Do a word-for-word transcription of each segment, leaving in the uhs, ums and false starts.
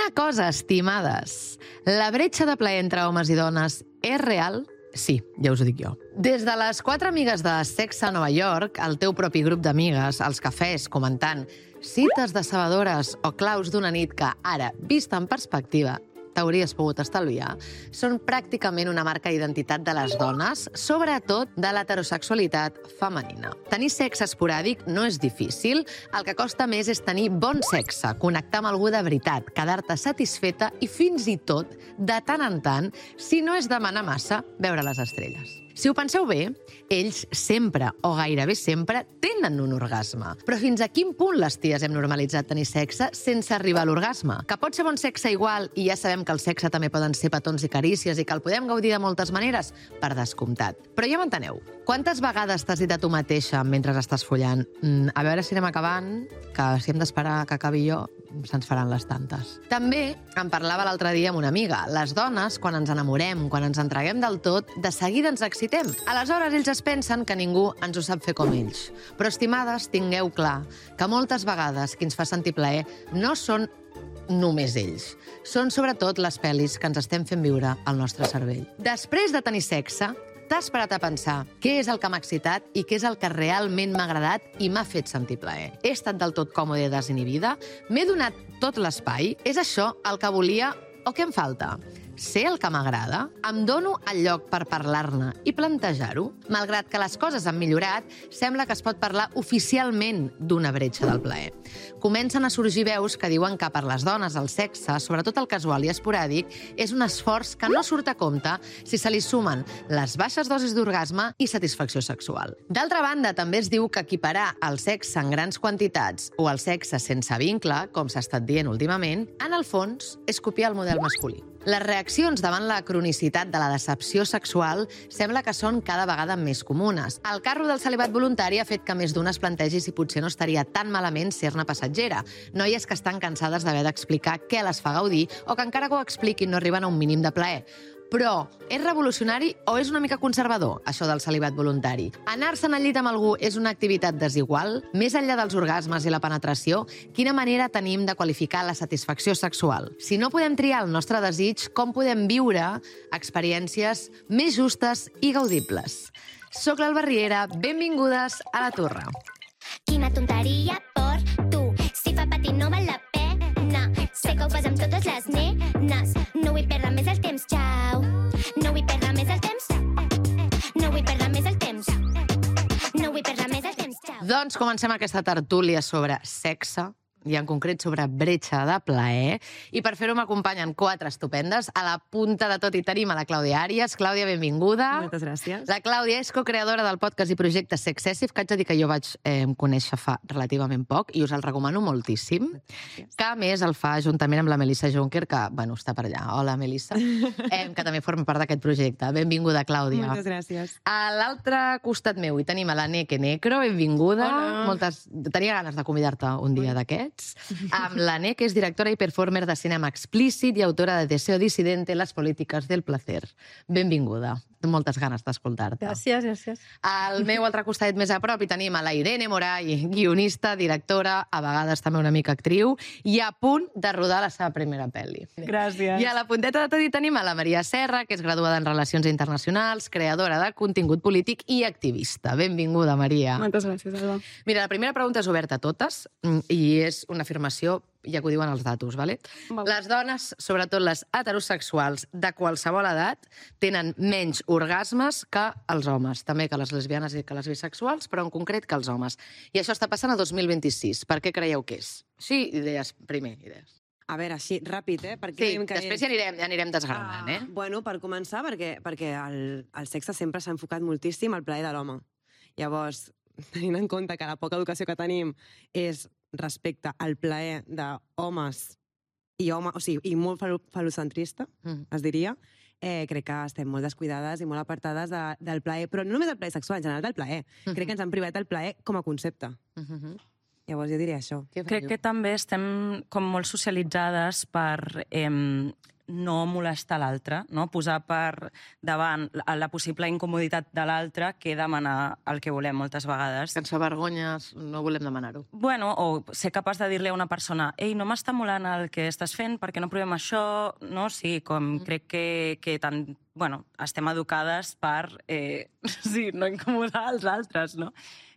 Una cosa, estimades, la bretxa de plaer entre homes i dones és real? Sí, ja us ho dic jo. Des de les quatre amigues de Sexe a Nova York, el teu propi grup d'amigues, als cafès, comentant cites decebedores o claus d'una nit que, ara, vista en perspectiva, t'hauries pogut estalviar, són pràcticament una marca d'identitat de les dones, sobretot de l'heterosexualitat femenina. Tenir sexe esporàdic no és difícil, el que costa més és tenir bon sexe, connectar amb algú de veritat, quedar-te satisfeta i fins i tot, de tant en tant, si no és demanar massa, veure les estrelles. Si ho penseu bé, ells sempre, o gairebé sempre, tenen un orgasme. Però fins a quin punt les ties hem normalitzat tenir sexe sense arribar a l'orgasme? Que pot ser bon sexe igual, i ja sabem que el sexe també poden ser petons i carícies i que el podem gaudir de moltes maneres? Per descomptat. Però ja m'enteneu. Quantes vegades t'has dit a tu mateixa mentre estàs follant mm, a veure si anem acabant, que si hem d'esperar que acabi jo, se'ns faran les tantes. També em parlava l'altre dia amb una amiga. Les dones, quan ens enamorem, quan ens entreguem del tot, de seguida ens excitem. Aleshores, ells es pensen que ningú ens ho sap fer com ells. Però, estimades, tingueu clar que moltes vegades qui ens fa sentir plaer no són només ells. Són sobretot les pel·lis que ens estem fent viure al nostre cervell. Després de tenir sexe, t'has parat a pensar què és el que m'ha excitat i què és el que realment m'ha agradat i m'ha fet sentir plaer. He estat del tot còmode i desinhibida? M'he donat tot l'espai? És això el que volia o què em falta? Sé el que m'agrada? Em dono el lloc per parlar-ne i plantejar-ho? Malgrat que les coses han millorat, sembla que es pot parlar oficialment d'una bretxa del plaer. Comencen a sorgir veus que diuen que per les dones el sexe, sobretot el casual i esporàdic, és un esforç que no surt a compte si se li sumen les baixes dosis d'orgasme i satisfacció sexual. D'altra banda, també es diu que equiparar el sexe en grans quantitats o el sexe sense vincle, com s'ha estat dient últimament, en el fons és copiar el model masculí. Les reaccions davant la cronicitat de la decepció sexual sembla que són cada vegada més comunes. El carro del celibat voluntari ha fet que més d'una es plantegi si potser no estaria tan malament ser-ne passatgera. Noies que estan cansades d'haver d'explicar què les fa gaudir o que encara que ho expliquin no arriben a un mínim de plaer. Però és revolucionari o és una mica conservador, això del celibat voluntari? Anar-se'n al llit amb algú és una activitat desigual? Més enllà dels orgasmes i la penetració, quina manera tenim de qualificar la satisfacció sexual? Si no podem triar el nostre desig, com podem viure experiències més justes i gaudibles? Soc l'Alba Riera, benvingudes a La Torre. Quina tonteria per tu, si fa patir no val la pena. Sé que ho fas amb totes les nenes, no vull perdre més el temps, xau. No vull perdre més el temps, no vull perdre més el temps, no vull perdre més el temps, xau. Doncs comencem aquesta tertúlia sobre sexe, i en concret sobre bretxa de plaer. I per fer-ho m'acompanyen quatre estupendes. A la punta de tot hi tenim a la Clàudia Àries. Clàudia, benvinguda. Moltes gràcies. La Clàudia és co-creadora del podcast i projecte Sexcessive, que haig de dir que jo vaig eh, conèixer fa relativament poc i us el recomano moltíssim. Gràcies. Que a més el fa juntament amb la Melissa Juncker, que, bueno, està per allà. Hola, Melissa. eh, que també forma part d'aquest projecte. Benvinguda, Clàudia. Moltes gràcies. A l'altre costat meu hi tenim a la Neke Necro. Benvinguda. Hola. Moltes... Tenia ganes de convidar-te un dia d'aquests. Amb la Neke, que és directora i performer de cinema explícit i autora de Deseo Disidente, les polítiques del placer. Benvinguda. Moltes ganes d'escoltar-te. Gràcies, gràcies. Al meu altre costat més a prop hi tenim a la Irene Moray, guionista, directora, a vegades també una mica actriu, i a punt de rodar la seva primera pel·li. Gràcies. I a la punteta de tot hi tenim a la Maria Serra, que és graduada en Relacions Internacionals, creadora de contingut polític i activista. Benvinguda, Maria. Moltes gràcies, Alba. Mira, la primera pregunta és oberta a totes i és una afirmació, ja que ho diuen els datos, ¿vale? Val. Les dones, sobretot les heterosexuals de qualsevol edat, tenen menys orgasmes que els homes, també que les lesbianes i que les bisexuals, però en concret que els homes. I això està passant a dos mil vint-i-sis. Per què creieu que és? Sí, idees, primer, idees. A veure, així, ràpid, eh? Perquè Sí, creiem que després ja anirem, ja anirem desgranant, eh? Ah, bueno, per començar, perquè, perquè el, el sexe sempre s'ha enfocat moltíssim al plaer de l'home. Llavors, tenint en compte que la poca educació que tenim és respecte al plaer d'homes i home, o sigui, i molt fal falocentrista, Mm. es diria, eh, crec que estem molt descuidades i molt apartades de, del plaer, però no només del plaer sexual, en general del plaer. Mhm. Crec que ens han privat el plaer com a concepte. Mhm. Llavors jo diria això. Què Crec feu? que també estem com molt socialitzades per eh, no molestar l'altre, no? Posar per davant la possible incomoditat de l'altre que demanar el que volem moltes vegades. Sense vergonyes no volem demanar-ho. Bueno, o ser capaç de dir-li a una persona ei, no m'està molant el que estàs fent perquè no provem això, no? Sí, com mm. crec que, que tant, bueno, estem educades per eh, sí, no incomodar els altres, no?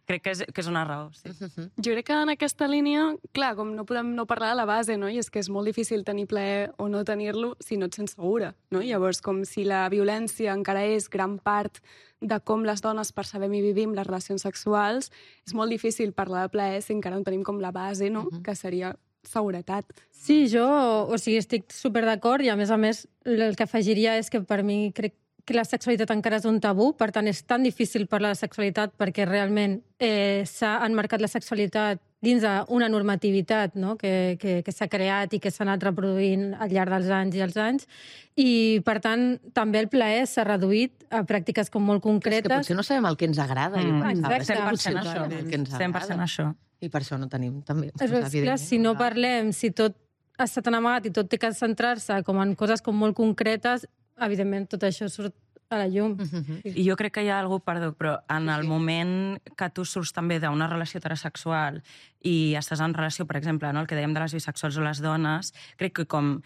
Crec que és, que és una raó, sí. Uh-huh. Jo crec que en aquesta línia, clar, com no podem no parlar de la base, no? I és que és molt difícil tenir plaer o no tenir-lo si no et sents segura, no? Llavors, com si la violència encara és gran part de com les dones percebem i vivim les relacions sexuals, és molt difícil parlar de plaer si encara no tenim com la base, no? Uh-huh. Que seria seguretat. Sí, jo, o sigui, estic super d'acord i, a més a més, el que afegiria és que per mi crec que la sexualitat encara és un tabú, per tant és tan difícil parlar de sexualitat perquè realment eh, s'ha enmarcat la sexualitat dins d'una normativitat, no? que, que, que s'ha creat i que s'ha anat reproduint al llarg dels anys i els anys, i per tant també el plaer s'ha reduït a pràctiques com molt concretes. És que potser no sabem el que ens agrada. Mm. Exacte. cent per cent això. cent per cent això. I per això no tenim, també. És clar, si no parlem, si tot ha estat en amagat i tot té que centrar-se com en coses com molt concretes, evidentment tot això surt a la llum. Uh-huh. I jo crec que hi ha algú, perdó, però en el moment que tu surts també d'una relació heterosexual i estàs en relació, per exemple, no, el que dèiem de les bisexuals o les dones, crec que com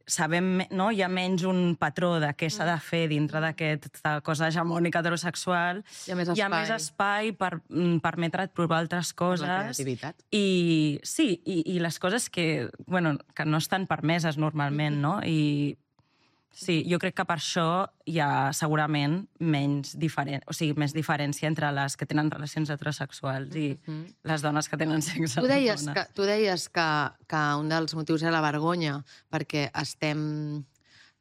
sabem, no, hi ha menys un patró de què s'ha de fer dintre d'aquesta cosa hegemònica heterosexual, hi ha més espai, hi ha més espai per mm, permetre't provar altres coses. La creativitat. I sí, i, i les coses que, bueno, que no estan permeses normalment, no? I sí, jo crec que per això hi ha segurament menys diferent, o sigui, més diferència entre les que tenen relacions heterosexuals i uh-huh. les dones que tenen sexe. Tu deies, que, tu deies que, que un dels motius era la vergonya, perquè estem...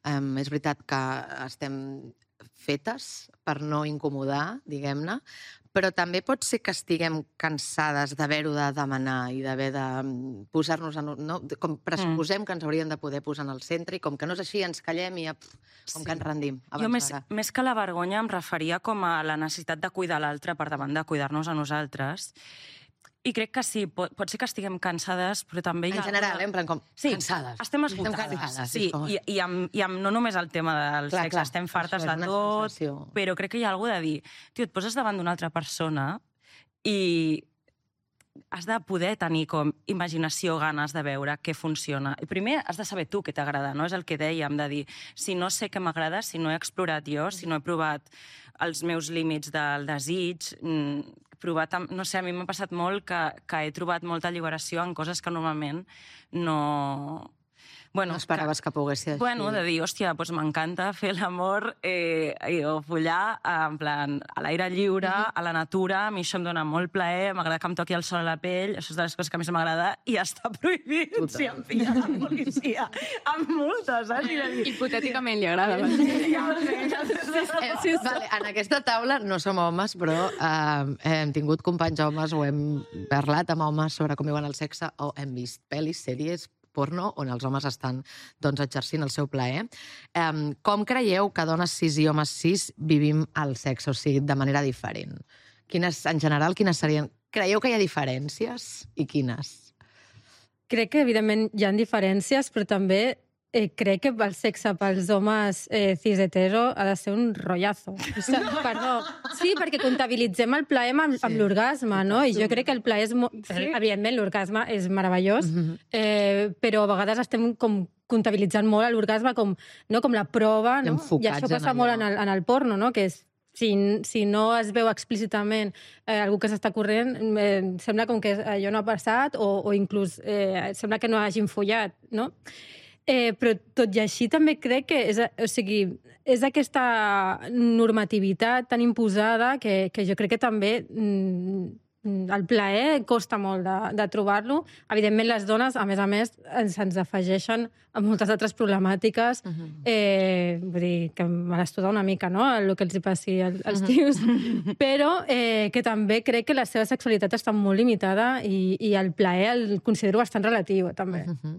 Eh, és veritat que estem fetes per no incomodar, diguem-ne, però també pot ser que estiguem cansades d'haver-ho de demanar i d'haver de posar-nos... En, no? Com pressuposem mm. que ens haurien de poder posar en el centre i com que no és així ens callem i com sí. que ens rendim. Jo més, més que la vergonya em referia com a la necessitat de cuidar l'altre per davant de cuidar-nos a nosaltres. I crec que sí, pot, pot ser que estiguem cansades, però també hi ha... En general, eh? En plan com sí, cansades. Estem esgotades. Cansades, sí, i, i, amb, i amb no només el tema del clar, sexe, clar, estem fartes de tot, sensació. Però crec que hi ha alguna de dir, tio, et poses davant d'una altra persona i has de poder tenir com imaginació, ganes de veure què funciona. I primer has de saber tu què t'agrada, no? És el que dèiem, de dir, si no sé què m'agrada, si no he explorat jo, si no he provat els meus límits del desig, provat, no sé, a mi m'ha passat molt que, que he trobat molta alliberació en coses que normalment no... Bueno, no esperaves que, que pogués ser així. Bueno, de dir, hòstia, doncs m'encanta fer l'amor eh, o follar en plan, a l'aire lliure, mm-hmm. a la natura, a mi això em dona molt plaer, m'agrada que em toqui el sol a la pell, això és de les coses que més m'agrada, i està prohibit Total. Si em pilla la policia. Amb multes, saps? Dir... Hipotèticament li agrada. eh, sí, vale, en aquesta taula no som homes, però eh, hem tingut companys homes o hem parlat amb homes sobre com viuen el sexe o hem vist pel·lis, sèries, porno, on els homes estan doncs, exercint el seu plaer. Um, com creieu que dones cis i homes cis vivim el sexe, o sigui, de manera diferent? Quines, en general, quines serien... Creieu que hi ha diferències? I quines? Crec que, evidentment, hi ha diferències, però també eh, crec que el sexe pels homes eh, cis hetero ha de ser un rotllazo. O sigui, perdó. Sí, perquè comptabilitzem el plaer amb, sí. amb l'orgasme, no? I jo crec que el plaer és... Sí. Evidentment, l'orgasme és meravellós, mm-hmm. eh, però a vegades estem com comptabilitzant molt l'orgasme com, no, com la prova, no? I això passa en molt en el, en el porno, no? Que és Si, si no es veu explícitament eh, algú que s'està corrent, eh, sembla com que allò no ha passat o, o inclús eh, sembla que no hagin follat, no? Eh, però tot i així també crec que és, o sigui, és aquesta normativitat tan imposada que, que jo crec que també mm, el plaer costa molt de, de trobar-lo. Evidentment, les dones, a més a més, ens, ens afegeixen a moltes altres problemàtiques. Uh-huh. eh, vull dir, que me l'estuda una mica, no?, el que els hi passi als, als tios. Uh-huh. Però eh, que també crec que la seva sexualitat està molt limitada i, i el plaer el considero bastant relatiu, també. Uh-huh.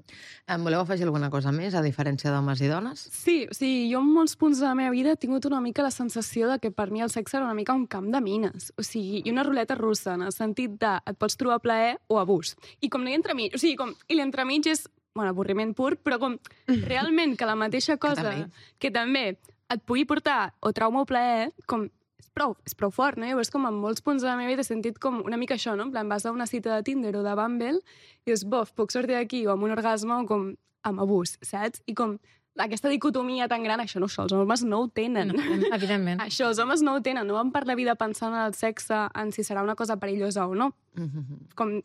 Em voleu afegir alguna cosa més, a diferència d'homes i dones? Sí, o sigui, jo en molts punts de la meva vida he tingut una mica la sensació de que per mi el sexe era una mica un camp de mines. O sigui, i una ruleta russa, en el sentit de et pots trobar plaer o abús. I com no hi ha entremig, o sigui, com, i l'entremig és bueno, avorriment pur, però com realment que la mateixa cosa que també, que també et pugui portar o trauma o plaer, com és prou, és prou fort, no? Llavors, com en molts punts de la meva vida he sentit com una mica això, no? En plan, vas a una cita de Tinder o de Bumble i dius, bof, puc sortir d'aquí o amb un orgasme o com amb abús, saps? I com aquesta dicotomia tan gran, això no, això, els homes no ho tenen. No, evidentment. Això, els homes no ho tenen, no van per la vida pensant en el sexe, en si serà una cosa perillosa o no. Mm-hmm. Com,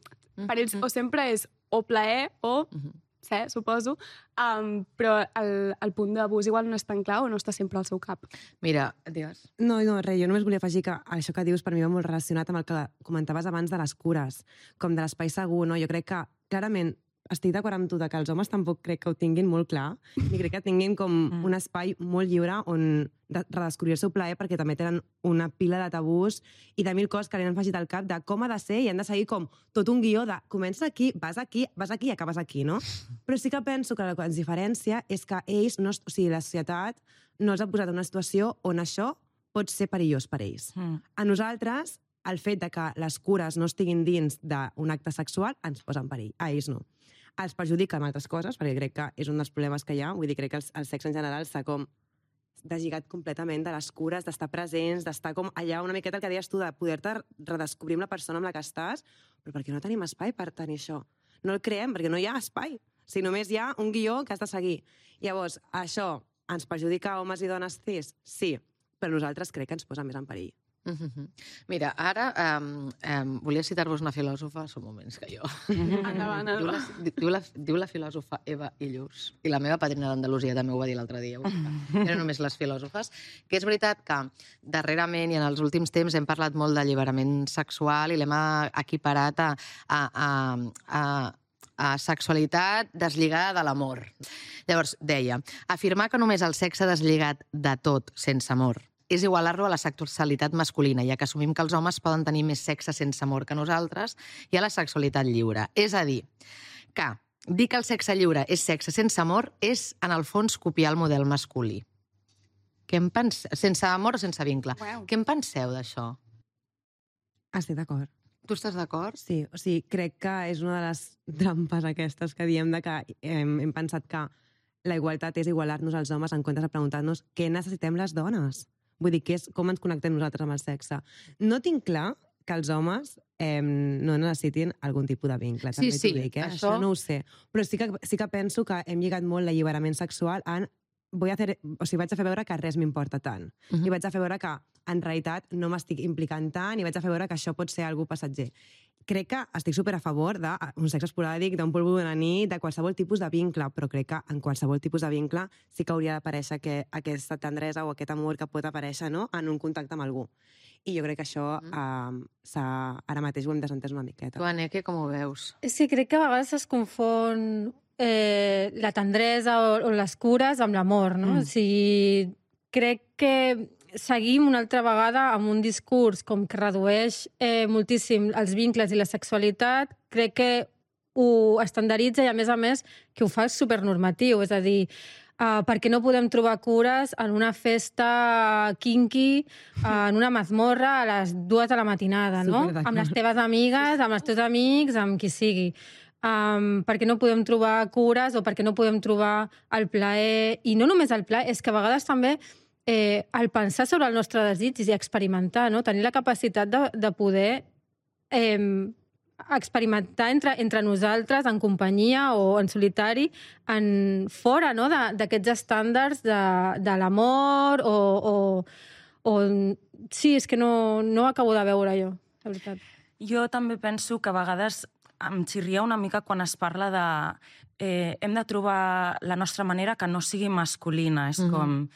per ells, mm-hmm. o sempre és o plaer o... Mm-hmm. sé, suposo, um, però el, el punt d'abús igual no és tan clar o no està sempre al seu cap. Mira, digues. No, no, res, jo només volia afegir que això que dius per mi va molt relacionat amb el que comentaves abans de les cures, com de l'espai segur, no? Jo crec que, clarament, estic d'acord amb tu que els homes tampoc crec que ho tinguin molt clar, ni crec que tinguin com mm. un espai molt lliure on redescobrir el seu plaer, perquè també tenen una pila de tabús i de mil coses que li han afegit al cap de com ha de ser i han de seguir com tot un guió de comença aquí, vas aquí, vas aquí i acabes aquí, no? Però sí que penso que el que ens diferencia és que ells, no, o sigui, la societat no els ha posat en una situació on això pot ser perillós per ells. Mm. A nosaltres, el fet de que les cures no estiguin dins d'un acte sexual ens posa en perill. A ells no. Els perjudica amb altres coses, perquè crec que és un dels problemes que hi ha. Vull dir, crec que el, el sexe en general s'ha com deslligat completament de les cures, d'estar presents, d'estar com allà una miqueta el que deies tu, de poder-te redescobrir amb la persona amb la que estàs, però perquè no tenim espai per tenir això. No el creem, perquè no hi ha espai. Si només hi ha un guió que has de seguir. Llavors, això ens perjudica a homes i dones cis? Sí, però nosaltres crec que ens posa més en perill. Mm-hmm. Mira, ara um, um, volia citar-vos una filòsofa, són moments que jo... Endavant, diu, la, diu, la, diu la filòsofa Eva Illús, i la meva padrina d'Andalusia també ho va dir l'altre dia, eren només les filòsofes, que és veritat que darrerament i en els últims temps hem parlat molt d'alliberament sexual i l'hem equiparat a, a, a, a a sexualitat deslligada de l'amor. Llavors, deia, afirmar que només el sexe deslligat de tot, sense amor, és igualar-lo a la sexualitat masculina, ja que assumim que els homes poden tenir més sexe sense amor que nosaltres i a la sexualitat lliure. És a dir, que dir que el sexe lliure és sexe sense amor és, en el fons, copiar el model masculí. Què en pense... Sense amor o sense vincle. Wow. Què en penseu d'això? Estic d'acord. Tu estàs d'acord? Sí, o sigui, crec que és una de les trampes aquestes que diem de que hem, hem pensat que la igualtat és igualar-nos als homes en comptes de preguntar-nos què necessitem les dones. Vull dir, que és com ens connectem nosaltres amb el sexe. No tinc clar que els homes eh, no necessitin algun tipus de vincle. Sí, sí. Dic, eh? Això... això no ho sé. Però sí que, sí que penso que hem lligat molt l'alliberament sexual en... Vull hacer... O sigui, vaig a fer veure que res m'importa tant. Uh-huh. I vaig a fer veure que, en realitat, no m'estic implicant tant i vaig a fer veure que això pot ser algú passatger. Crec que estic super a favor d'un sexe esporàdic, d'un polvo d'una nit, de qualsevol tipus de vincle, però crec que en qualsevol tipus de vincle sí que hauria d'aparèixer que aquesta tendresa o aquest amor que pot aparèixer, no?, en un contacte amb algú. I jo crec que això mm. eh, ara mateix ho hem desentès una miqueta. Tu, Aneke, com ho veus? Sí, crec que a vegades es confon eh, la tendresa o, o les cures amb l'amor, no? Mm. O sigui, crec que seguim una altra vegada amb un discurs com que redueix eh, moltíssim els vincles i la sexualitat, crec que ho estandarditza i, a més a més, que ho fa supernormatiu. És a dir, uh, perquè no podem trobar cures en una festa kinky, uh, en una mazmorra a les dues de la matinada, no? Amb les teves amigues, amb els teus amics, amb qui sigui. Um, perquè no podem trobar cures o perquè no podem trobar el plaer. I no només el plaer, és que a vegades també Eh, el pensar sobre el nostre desig i experimentar, no? Tenir la capacitat de, de poder eh, experimentar entre, entre nosaltres, en companyia o en solitari, en fora, no?, d'aquests estàndards de, de l'amor o, o, o... Sí, és que no, no ho acabo de veure jo, la veritat. Jo també penso que a vegades em xirria una mica quan es parla de... Eh, hem de trobar la nostra manera que no sigui masculina. És mm-hmm. com...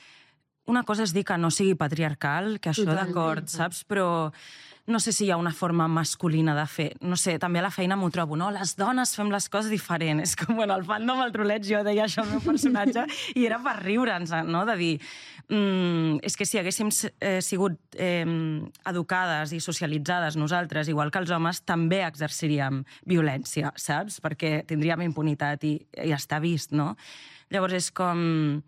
Una cosa és dir que no sigui patriarcal, que això d'acord, saps? Però no sé si hi ha una forma masculina de fer. No sé, també a la feina m'ho trobo, no? Les dones fem les coses diferents. És com, bueno, al fandom, el troleig, jo deia això al meu personatge, i era per riure'ns, no? De dir, mm, és que si haguéssim eh, sigut eh, educades i socialitzades nosaltres, igual que els homes, també exerciríem violència, saps? Perquè tindríem impunitat i, i està vist, no? Llavors és com...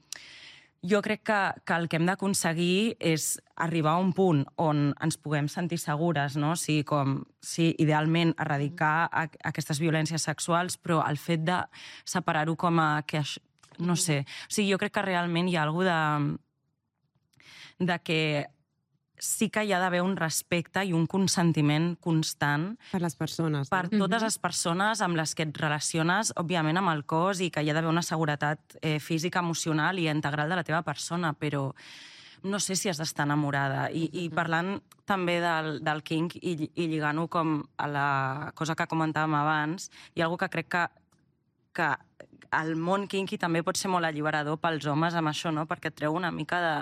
jo crec que, que el que hem d'aconseguir és arribar a un punt on ens puguem sentir segures, no? O sigui, com, sí, idealment erradicar a, a aquestes violències sexuals, però el fet de separar-ho com a... Que això, no sé. O sigui, jo crec que realment hi ha alguna de, de que sí que hi ha d'haver un respecte i un consentiment constant per les persones. Per no? totes les persones amb les que et relaciones, òbviament amb el cos, i que hi ha d'haver una seguretat eh, física, emocional i integral de la teva persona, però no sé si has d'estar enamorada. I, i parlant també del, del kink i, i lligant-ho com a la cosa que comentàvem abans, hi ha algú que crec que, que el món kinky també pot ser molt alliberador pels homes amb això, no? Perquè et treu una mica de...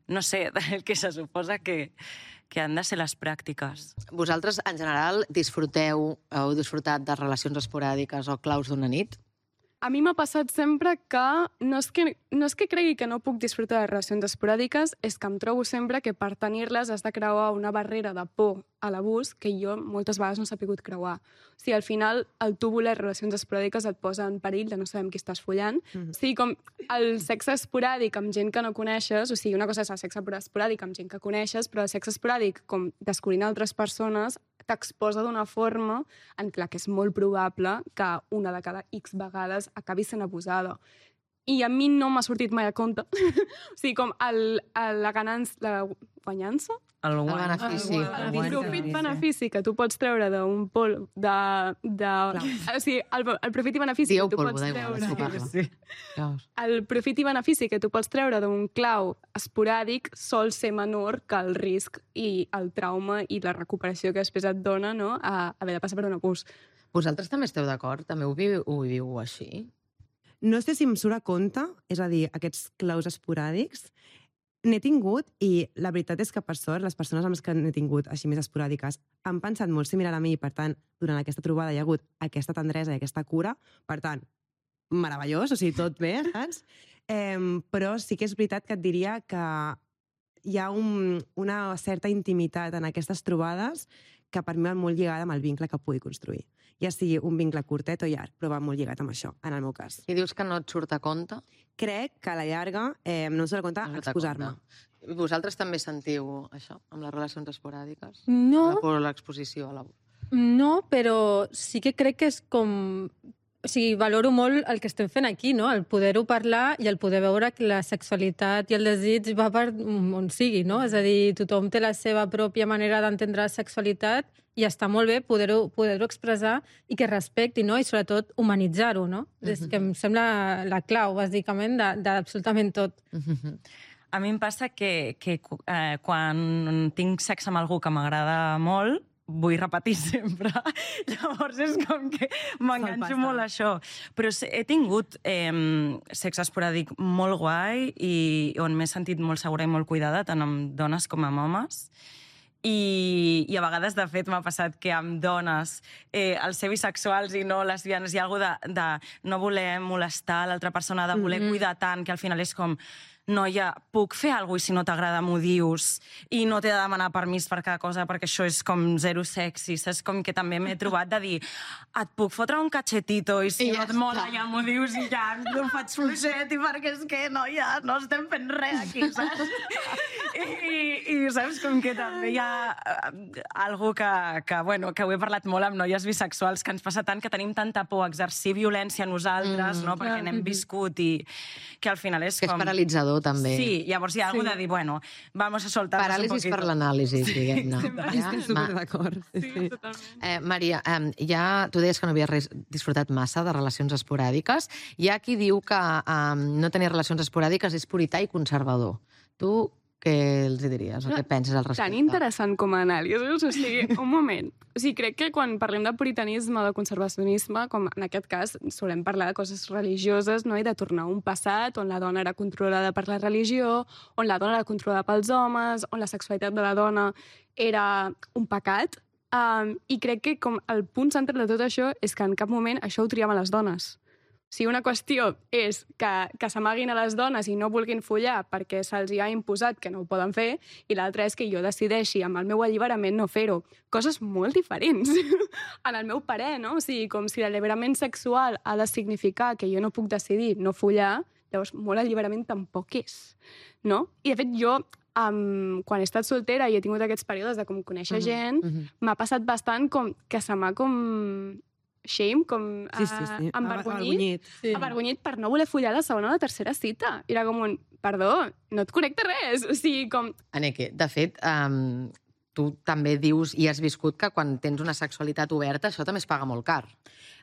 no sé, del que se suposa que, que han de ser les pràctiques. Vosaltres, en general, disfruteu, heu disfrutat de relacions esporàdiques o claus d'una nit? A mi m'ha passat sempre que no és que, no és que cregui que no puc disfrutar de relacions esporàdiques, és que em trobo sempre que per tenir-les has de creuar una barrera de por a l'abús que jo moltes vegades no he sabut creuar. O sigui, al final, el tu voler relacions esporàdiques et posa en perill de no saber amb qui estàs follant. Mm-hmm. O sigui, com el sexe esporàdic amb gent que no coneixes, o sigui, una cosa és el sexe esporàdic amb gent que coneixes, però el sexe esporàdic, com descobrint altres persones, t'exposa d'una forma en la que és molt probable que una de cada X vegades acabi sent abusada. I a mi no m'ha sortit mai a compte. O sigui, com el, el, la ganança, la guanyança? El, el benefici. El, el profit-benefici que tu pots treure d'un pol... De, de, o sigui, el, el profit i benefici Dieu que tu polvo pots d'aigua, treure... sí. El profit i benefici que tu pots treure d'un clau esporàdic sol ser menor que el risc i el trauma i la recuperació que després et dona, no?, a haver de passar per un abús. Vosaltres també esteu d'acord? També ho viviu, ho viviu així? No sé si em surt a compte, és a dir, aquests claus esporàdics, n'he tingut, i la veritat és que, per sort, les persones amb les que n'he tingut així més esporàdiques han pensat molt similar a mi, i per tant, durant aquesta trobada hi ha hagut aquesta tendresa i aquesta cura, per tant, meravellós, o sigui, tot bé, saps? Eh, però sí que és veritat que et diria que hi ha un, una certa intimitat en aquestes trobades que per mi va molt lligada amb el vincle que pugui construir. Ja sigui un vincle curtet o llarg, però va molt lligat amb això, en el meu cas. I dius que no et surt a compte? Crec que a la llarga eh, no em surt a compte no exposar-me. Vosaltres també sentiu això, amb les relacions esporàdiques? No. Per l'exposició a l'abús? No, però sí que crec que és com... O sigui, valoro molt el que estem fent aquí, no? El poder-ho parlar i el poder veure que la sexualitat i el desig va per on sigui, no? És a dir, tothom té la seva pròpia manera d'entendre la sexualitat i està molt bé poder-ho poder-ho expressar i que respecti, no? I sobretot humanitzar-ho, no? Mm-hmm. És que em sembla la clau, bàsicament, d'absolutament tot. Mm-hmm. A mi em passa que, que eh, quan tinc sexe amb algú que m'agrada molt, vull repetir sempre. Llavors és com que m'enganxo molt a això. Però he tingut eh, sexe esporàdic molt guai i on m'he sentit molt segura i molt cuidada, tant amb dones com amb homes. I, i a vegades, de fet, m'ha passat que amb dones, eh, els ser bisexuals i no lesbianes, hi ha alguna de, de no voler molestar l'altra persona, de voler mm-hmm. cuidar tant, que al final és com... Noia, puc fer alguna cosa i si no t'agrada m'ho dius i no t'he de demanar permís per cada cosa perquè això és com zero sexy, saps? Com que també m'he trobat de dir et puc fotre un cachetito i si I no ja et mola ja m'ho dius i ja ho faig fluixet i perquè és que, noia, no estem fent res aquí, saps? I, i saps? Com que també hi ha algú que, que, bueno, que ho he parlat molt amb noies bisexuals, que ens passa tant que tenim tanta por a exercir violència a nosaltres, mm, no? Perquè n'hem viscut i que al final és que com... és paralitzador, també. Sí, llavors hi ha algú sí. de dir, bueno, vamos a soltar-nos un poquito. Paràlisis per l'anàlisi, sí, diguem-ne. Sí, ja? Estic superd'acord. Sí, sí, sí. totalment. Eh, Maria, eh, ja tu deies que no havies disfrutat massa de relacions esporàdiques. Hi ha qui diu que eh, no tenir relacions esporàdiques és purità i conservador. Tu què els diries o què penses al respecte? Tan interessant com a anàlisi. O sigui, un moment. O sigui, crec que quan parlem de puritanisme o de conservacionisme, com en aquest cas, solem parlar de coses religioses, no? I de tornar a un passat on la dona era controlada per la religió, on la dona era controlada pels homes, on la sexualitat de la dona era un pecat. Um, I crec que com el punt central de tot això és que en cap moment això ho triaven les dones. Si una qüestió és que, que s'amaguin a les dones i no vulguin follar perquè se'ls ha imposat que no ho poden fer, i l'altra és que jo decideixi amb el meu alliberament no fer-ho. Coses molt diferents, en el meu parer, no? O sigui, com si l'alliberament sexual ha de significar que jo no puc decidir no follar, Llavors, molt alliberament tampoc és, no? I, de fet, jo, um, quan he estat soltera i he tingut aquests períodes de com conèixer uh-huh, gent, uh-huh. m'ha passat bastant com que se m'ha com... shame, com sí, sí, sí. Uh, embargonyit, sí. embargonyit per no voler follar la segona o la tercera cita. Era com un, perdó, no et connecta res. O sigui, com... Aneke, de fet, um, tu també dius i has viscut que quan tens una sexualitat oberta això també es paga molt car.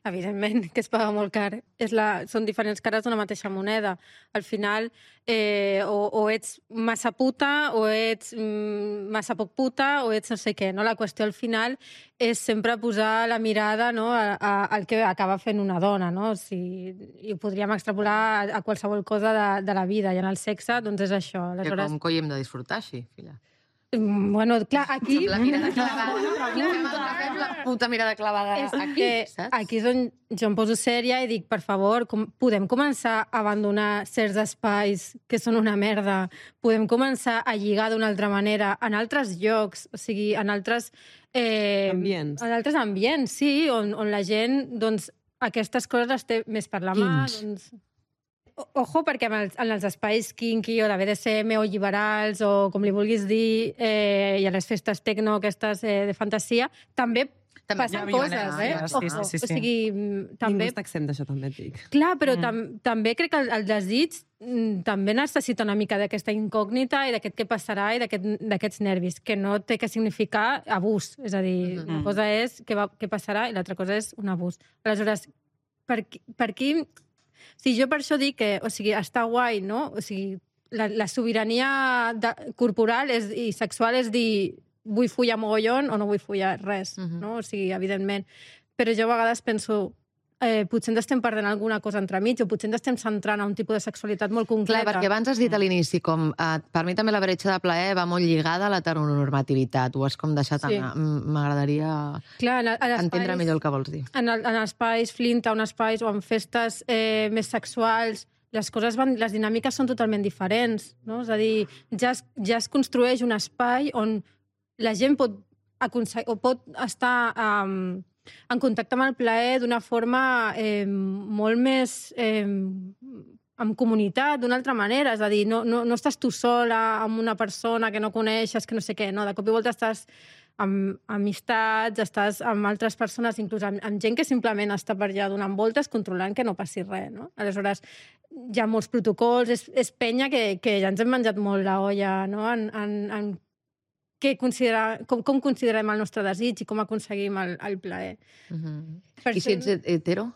Evidentment que es paga molt car. És la... Són diferents cares d'una mateixa moneda. Al final, eh, o, o ets massa puta, o ets mm, massa poc puta, o ets no sé què. No? La qüestió al final és sempre posar la mirada, no, a, a, al que acaba fent una dona. No? O sigui, i ho podríem extrapolar a, a qualsevol cosa de, de la vida. I en el sexe, doncs és això. Aleshores... Que com coi hem de disfrutar així, filla? Bueno, clar, aquí... La mirada clavada. Fem la puta mirada clavada aquí, saps? Aquí és on jo em poso sèria i dic, per favor, com, podem començar a abandonar certs espais que són una merda, podem començar a lligar d'una altra manera en altres llocs, o sigui, en altres... Eh, ambients. En altres ambients, sí, on, on la gent, doncs, aquestes coses les té més per la mà, doncs... Ojo, perquè en els, en els espais kinky o de B D S M o lliberals o com li vulguis dir, eh, i a les festes tecno, aquestes eh, de fantasia, també, també passen coses, eh? Sí, sí, sí, sí. O sigui, també... Ningú està exempt d'això, també et dic. Clar, però mm. tam també crec que el, el desig mm, també necessita una mica d'aquesta incògnita i d'aquest què passarà i d'aquests aquest, nervis, que no té que significar abús. És a dir, mm. una cosa és què, va, què passarà i l'altra cosa és un abús. Aleshores, per, per qui... O sigui, jo per això dic que, o sigui, està guai, no? O sigui, la, la sobirania de, corporal és, i sexual és dir vull follar mogollon o no vull follar res, uh-huh. no? O sigui, evidentment. Però jo a vegades penso, eh, potser ens estem perdent alguna cosa entremig o potser ens estem centrant en un tipus de sexualitat molt concreta. Clar, perquè abans has dit a l'inici, com eh, per mi també la bretxa de plaer va molt lligada a l'heteronormativitat. Ho has com deixat sí. anar. M'agradaria entendre millor el que vols dir. En, el, en espais flinta, en espais o en festes eh, més sexuals, les coses van, les dinàmiques són totalment diferents, no? És a dir, ja es, ja es construeix un espai on la gent pot, o pot estar... Um, en contacte amb el plaer d'una forma eh, molt més eh, en comunitat, d'una altra manera. És a dir, no, no, no estàs tu sola amb una persona que no coneixes, que no sé què. No, de cop i volta estàs amb amistats, estàs amb altres persones, inclús amb, amb gent que simplement està per allà donant voltes, controlant que no passi res. No? Aleshores, hi ha molts protocols, és, és penya que, que ja ens hem menjat molt la olla, no? en, en, en que considera, com, com considerem el nostre desig i com aconseguim el, el plaer. Uh-huh. I si ets hetero?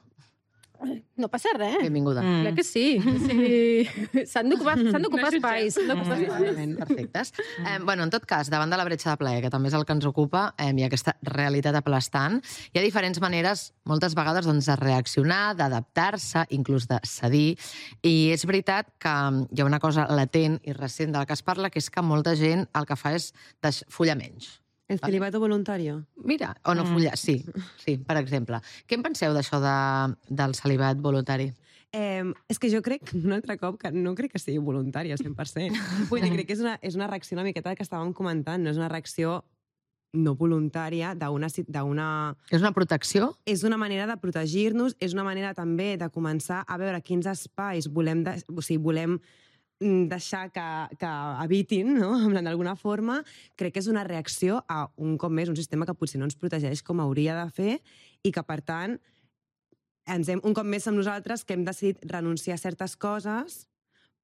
No passa res. Benvinguda. Mm. Clar que sí. sí. S'han d'ocupar espais. No perfectes. Eh, bueno, en tot cas, davant de la bretxa de plaer, que també és el que ens ocupa, eh, hi ha aquesta realitat aplastant, hi ha diferents maneres, moltes vegades, doncs, de reaccionar, d'adaptar-se, inclús de cedir. I és veritat que hi ha una cosa latent i recent de la que es parla, que és que molta gent el que fa és follar menys. El celibato voluntario. Mira, o no follar, sí, sí, per exemple. Què en penseu d'això de, del celibat voluntari? Eh, és que jo crec, un altre cop, que no crec que sigui voluntari al cent per cent. Vull dir, crec que és una, és una reacció una miqueta que estàvem comentant, no és una reacció no voluntària d'una... És una protecció? És una manera de protegir-nos, és una manera també de començar a veure quins espais volem, de, o sigui, volem deixar que, que habitin, no? D'alguna forma. Crec que és una reacció a, un cop més, un sistema que potser no ens protegeix com hauria de fer i que, per tant, ens hem, un cop més som nosaltres que hem decidit renunciar a certes coses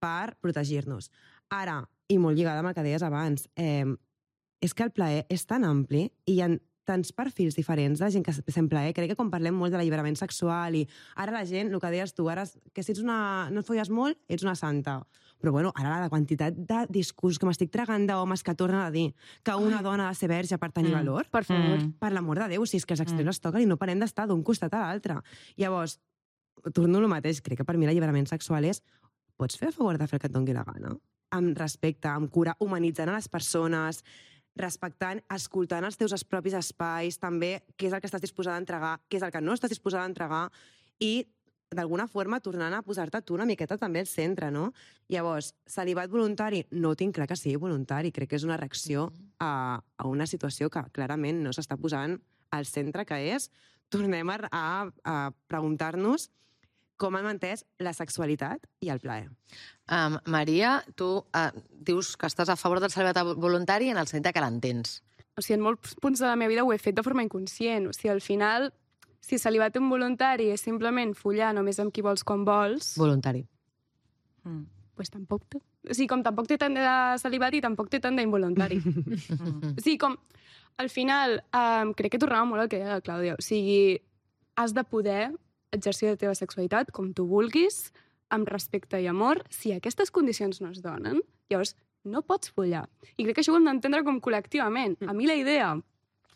per protegir-nos. Ara, i molt lligada amb el que deies abans, eh, és que el plaer és tan ampli i hi ha tants perfils diferents de gent que sent plaer. Crec que quan parlem molt de l'alliberament sexual i ara la gent, el que deies tu, ara, que si ets una, no et folles molt, ets una santa. Però, bueno, ara la quantitat de discurs que m'estic tragant d'homes que tornen a dir que una Ai. dona ha de ser verge per tenir mm. valor, per favor. Mm. Per l'amor de Déu, si és que els extrems mm. es toquen i no parem d'estar d'un costat a l'altre. Llavors, torno al mateix, crec que per mi l'alliberament sexual és pots fer a favor de fer el que et doni la gana? Amb respecte, amb cura, humanitzant a les persones, respectant, escoltant els teus propis espais, també què és el que estàs disposada a entregar, què és el que no estàs disposada a entregar, i d'alguna forma tornant a posar-te tu una miqueta també al centre, no? Llavors, celibat voluntari, no tinc clar que sigui voluntari, crec que és una reacció a, a una situació que clarament no s'està posant al centre, que és, tornem a, a, a preguntar-nos com han entès la sexualitat i el plaer. Um, Maria, tu uh, dius que estàs a favor del celibat voluntari en el sentit que l'entens. O sigui, en molts punts de la meva vida ho he fet de forma inconscient. O sigui, al final, si celibat involuntari és simplement follar només amb qui vols quan vols... Voluntari. Mm. Pues tampoc té... O sigui, com tampoc té tant de celibat i tampoc té tant d'involuntari. O sigui, com... Al final, um, crec que tornava molt al que deia la Clàudia. O sigui, has de poder exercir la teva sexualitat com tu vulguis, amb respecte i amor. Si aquestes condicions no es donen, llavors no pots follar. I crec que això ho hem d'entendre com col·lectivament. A mi la idea...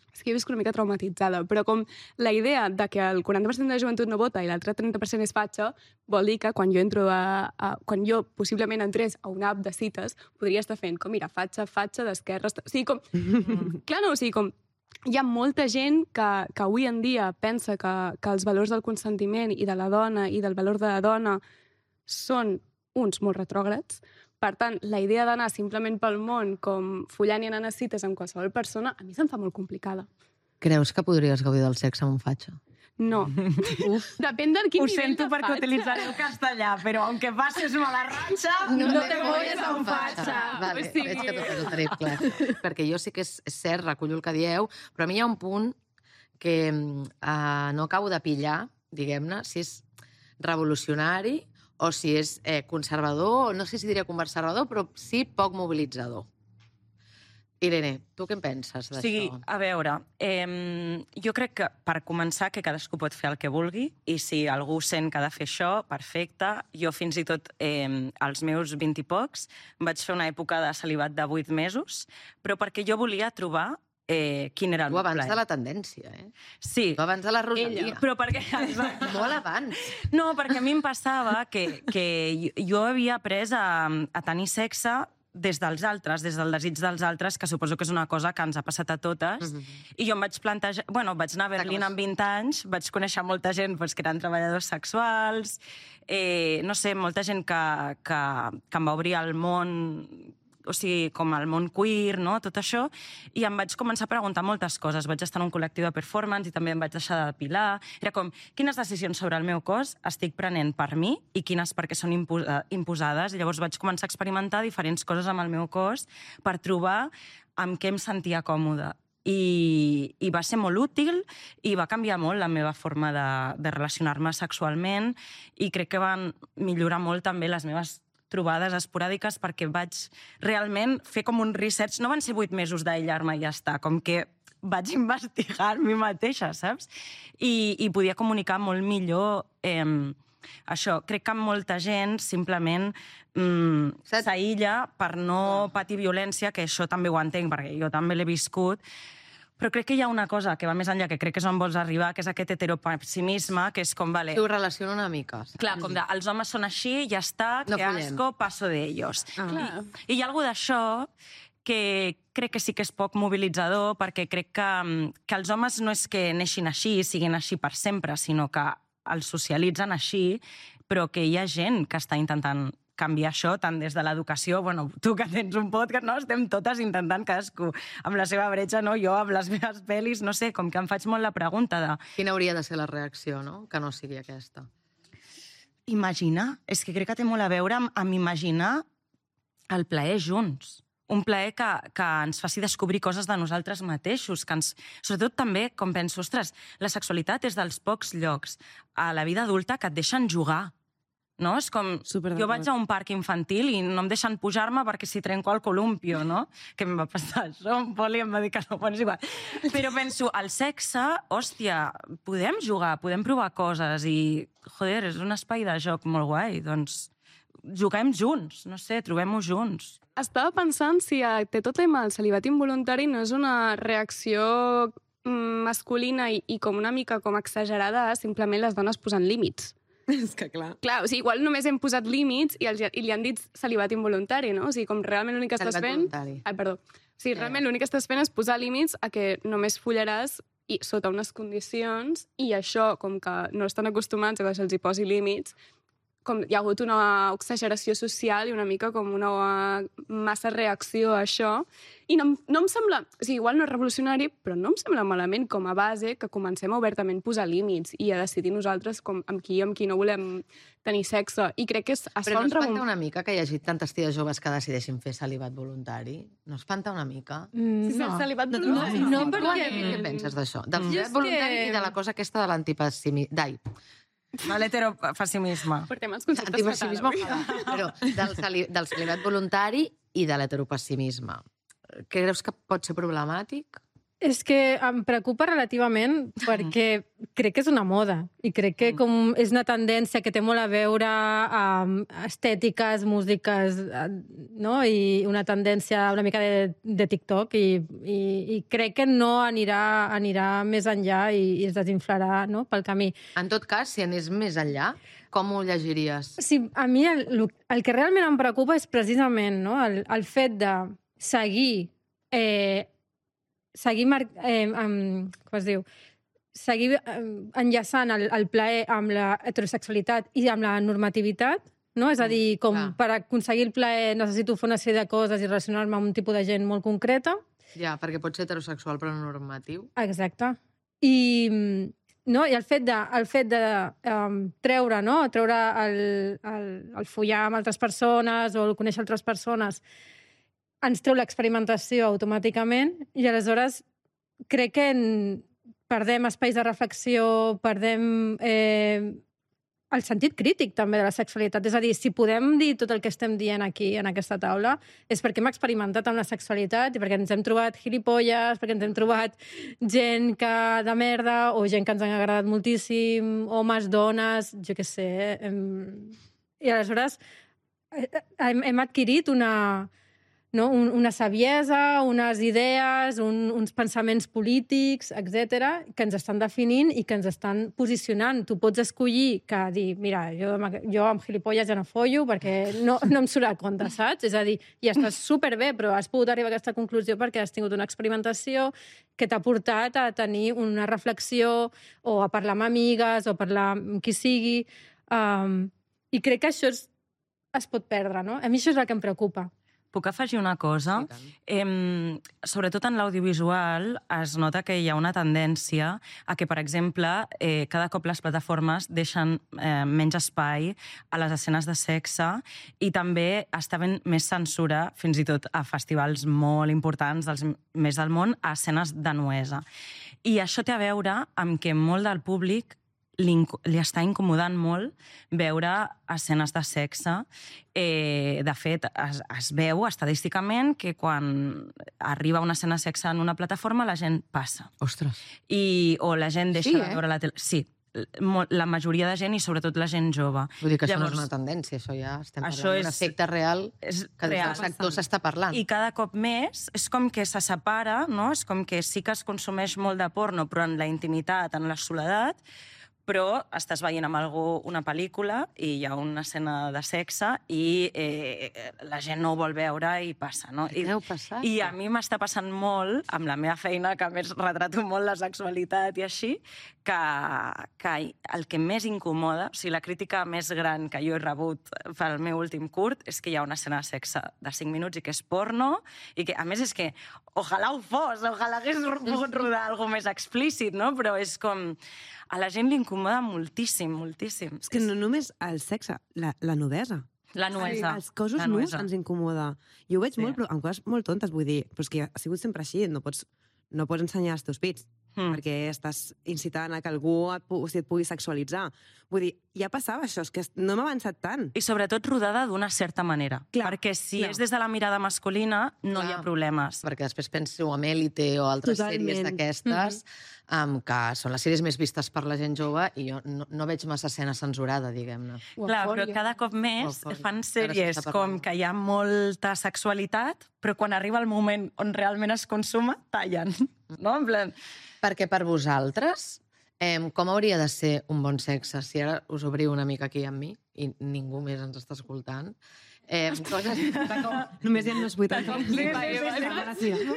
És que he viscut una mica traumatitzada, però com la idea de que el quaranta per cent de la joventut no vota i l'altre trenta per cent és fatxa, vol dir que quan jo entro a, a... quan jo possiblement entrés a una app de cites, podria estar fent com, mira, fatxa, fatxa, d'esquerres... O sigui, com... Clar, no, o sigui, com... Hi ha molta gent que, que avui en dia pensa que, que els valors del consentiment i de la dona i del valor de la dona són uns molt retrògrads. Per tant, la idea d'anar simplement pel món com follant i anant a cites amb qualsevol persona, a mi se'm fa molt complicada. Creus que podries gaudir del sexe amb un fatxa? No. Uf. Depèn del quin Ho nivell sento de perquè fatxa. utilitzaré el castellà, però aunque passes mala ratxa, no, no te te folles folles amb amb fatxa. fatxa. Vale, O sigui- veig que tot ho tenim clar. Perquè jo sí que és, és cert, recullo el que dieu, però a mi hi ha un punt que uh, no acabo de pillar, diguem-ne, si és revolucionari o si és eh, conservador, no sé si diria conservador, però sí poc mobilitzador. Irene, tu què en penses d'això? O sigui, a veure, eh, jo crec que per començar que cadascú pot fer el que vulgui i si algú sent que ha de fer això, perfecte. Jo fins i tot eh, als meus vint i pocs vaig fer una època de celibat de vuit mesos, però perquè jo volia trobar eh, quin era el Tu meu abans plaer. de la tendència, eh? Sí. Tu abans de la Rosalia. Però perquè... Molt abans. No, perquè a mi em passava que, que jo havia après a, a tenir sexe des dels altres, des del desig dels altres, que suposo que és una cosa que ens ha passat a totes. Mm-hmm. I jo em vaig plantejar... Bueno, vaig anar a Berlín amb vint anys, vaig conèixer molta gent doncs, que eren treballadors sexuals, eh, no sé, molta gent que, que, que em va obrir el món, o sigui, com el món queer, no? Tot això, i em vaig començar a preguntar moltes coses. Vaig estar en un col·lectiu de performance i també em vaig deixar de depilar. Era com, quines decisions sobre el meu cos estic prenent per mi i quines perquè són imposa imposades. I llavors vaig començar a experimentar diferents coses amb el meu cos per trobar amb què em sentia còmoda. I, i va ser molt útil i va canviar molt la meva forma de, de relacionar-me sexualment i crec que van millorar molt també les meves trobades esporàdiques perquè vaig realment fer com un research. No van ser vuit mesos d'aïllar-me i ja està, com que vaig investigar mi mateixa, saps? I, i podia comunicar molt millor eh, això. Crec que molta gent simplement mm, s'aïlla per no patir violència, que això també ho entenc, perquè jo també l'he viscut. Però crec que hi ha una cosa que va més enllà, que crec que és on vols arribar, que és aquest heteropessimisme, que és com, vale... Sí, ho relaciono una mica. Clar, com de, els homes són així, ja està, No que follem. asco, passo d'ells. Ah. I, I hi ha alguna d'això que crec que sí que és poc mobilitzador, perquè crec que, que els homes no és que neixin així, siguin així per sempre, sinó que els socialitzen així, però que hi ha gent que està intentant canviar això, tant des de l'educació, bueno, tu que tens un podcast, no? Estem totes intentant cadascú amb la seva bretxa, no? Jo amb les meves pel·lis, no sé, com que em faig molt la pregunta de... Quina hauria de ser la reacció, no? Que no sigui aquesta. Imaginar, és que crec que té molt a veure amb, amb imaginar el plaer junts. Un plaer que, que ens faci descobrir coses de nosaltres mateixos, que ens... Sobretot també, com penso, ostres, la sexualitat és dels pocs llocs a la vida adulta que et deixen jugar. No? És com, jo vaig a un parc infantil i no em deixen pujar-me perquè si trenco el columpio, no? Que em va passar això, un poli em va dir que no, bueno, és igual. Però penso, el sexe, hòstia, podem jugar, podem provar coses i, joder, és un espai de joc molt guai, doncs juguem junts, no sé, trobem-ho junts. Estava pensant si té tot tema del celibat involuntari no és una reacció masculina i, i com una mica com exagerada a simplement les dones posant límits. És que clar. Clar, o sigui, igual només hem posat límits i, els, i li han dit celibat involuntari, no? O sigui, com realment l'únic que estàs Celibat fent... voluntari. Ai, perdó. O sigui, realment l'únic que estàs fent és posar límits a que només follaràs i sota unes condicions i això, com que no estan acostumats a que se'ls hi posi límits, com hi ha hagut una exageració social i una mica com una massa reacció a això. I no, no em sembla... O sigui, igual no és revolucionari, però no em sembla malament com a base que comencem a obertament posar límits i a decidir nosaltres com, amb qui i amb qui no volem tenir sexe. I crec que es, es però fa un... Però no espanta una mica que hi hagi tantes ties joves que decideixin fer celibat voluntari? No espanta una mica? Mm, sí, no. Celibat voluntari. No, no, no perquè... Què penses d'això? Del celibat voluntari i de la cosa aquesta de l'antipessimisme... Dai. De l'heteropessimisme. Portem els conceptes Antipessimisme, fatal. però del, celi, del celibat voluntari i de l'heteropessimisme. Què creus que pot ser problemàtic? És que em preocupa relativament perquè crec que és una moda i crec que com és una tendència que té molt a veure amb estètiques, músiques, no? I una tendència una mica de, de TikTok i, i, i crec que no anirà, anirà més enllà i, i es desinflarà, no? Pel camí. En tot cas, si anés més enllà, com ho llegiries? Sí, a mi el, el que realment em preocupa és precisament, no? el, el fet de seguir eh, seguir, mar... eh, um, com es diu? seguir eh, enllaçant el, el plaer amb la heterosexualitat i amb la normativitat, no? És a dir, com mm, per aconseguir el plaer necessito fer una sèrie de coses i relacionar-me amb un tipus de gent molt concreta. Ja, perquè pot ser heterosexual però no normatiu. Exacte. I, no? I el fet de, el fet de um, treure, no? treure el, el, el follar amb altres persones o el conèixer altres persones ens treu l'experimentació automàticament i aleshores crec que en perdem espais de reflexió, perdem eh, el sentit crític també de la sexualitat. És a dir, si podem dir tot el que estem dient aquí en aquesta taula és perquè hem experimentat amb la sexualitat i perquè ens hem trobat gilipolles, perquè ens hem trobat gent que de merda o gent que ens ha agradat moltíssim, homes, dones, jo què sé. Hem... I aleshores hem, hem adquirit una... No? Un, una saviesa, unes idees, un, uns pensaments polítics, etcètera, que ens estan definint i que ens estan posicionant. Tu pots escollir que dir, mira, jo, jo amb gilipolles ja no follo perquè no, no em surt a compte, saps? És a dir, i estàs superbé, però has pogut arribar a aquesta conclusió perquè has tingut una experimentació que t'ha portat a tenir una reflexió o a parlar amb amigues o a parlar amb qui sigui. Um, I crec que això es, es pot perdre, no? A mi això és el que em preocupa. Puc afegir una cosa? Eh, sobretot en l'audiovisual es nota que hi ha una tendència a que, per exemple, eh, cada cop les plataformes deixen eh, menys espai a les escenes de sexe i també està ben més censura, fins i tot a festivals molt importants dels més del món, a escenes de nuesa. I això té a veure amb que molt del públic li, li està incomodant molt veure escenes de sexe. Eh, de fet, es, es veu estadísticament que quan arriba una escena de sexe en una plataforma la gent passa. Ostres. I, o la gent deixa sí, de veure eh? la tele. Sí, la majoria de gent i sobretot la gent jove. Vull dir que Llavors, això no és una tendència, això ja estem parlant això és, d'un efecte real és que real. del sector s'està parlant. I cada cop més és com que se separa, no? És com que sí que es consumeix molt de porno, però en la intimitat, en la soledat, però estàs veient amb algú una pel·lícula i hi ha una escena de sexe i eh, la gent no ho vol veure i passa, no? I, passat, I a mi m'està passant molt, amb la meva feina, que a més retrato molt la sexualitat i així, que, que el que més incomoda, o sigui, la crítica més gran que jo he rebut pel meu últim curt és que hi ha una escena de sexe de cinc minuts i que és porno, i que, a més, és que ojalà ho fos, ojalà hagués pogut rodar alguna més explícit, no? Però és com... A la gent li incomoda moltíssim, moltíssim. És que no només el sexe, la, la nudesa. La nuesa. Els cossos nus ens incomoda. Jo ho veig sí. molt, però amb coses molt tontes, vull dir, però és que ha sigut sempre així, no pots, no pots ensenyar els teus pits, mm. perquè estàs incitant a que algú et, pu et pugui sexualitzar. Vull dir, ja passava això, és que no hem avançat tant. I sobretot rodada d'una certa manera. Clar, perquè si clar. és des de la mirada masculina, no clar. hi ha problemes. Perquè després penso en Élite o altres Totalment. sèries d'aquestes, mm-hmm. um, que són les sèries més vistes per la gent jove, i jo no, no veig massa escena censurada, diguem-ne. Clar, però cada cop més fan sèries com que hi ha molta sexualitat, però quan arriba el moment on realment es consuma, tallen. No? En plan... Perquè per vosaltres, eh, com hauria de ser un bon sexe? Si ara us obriu una mica aquí amb mi, i ningú més ens està escoltant, Eh, coses... Només hi ha uns vuitanta.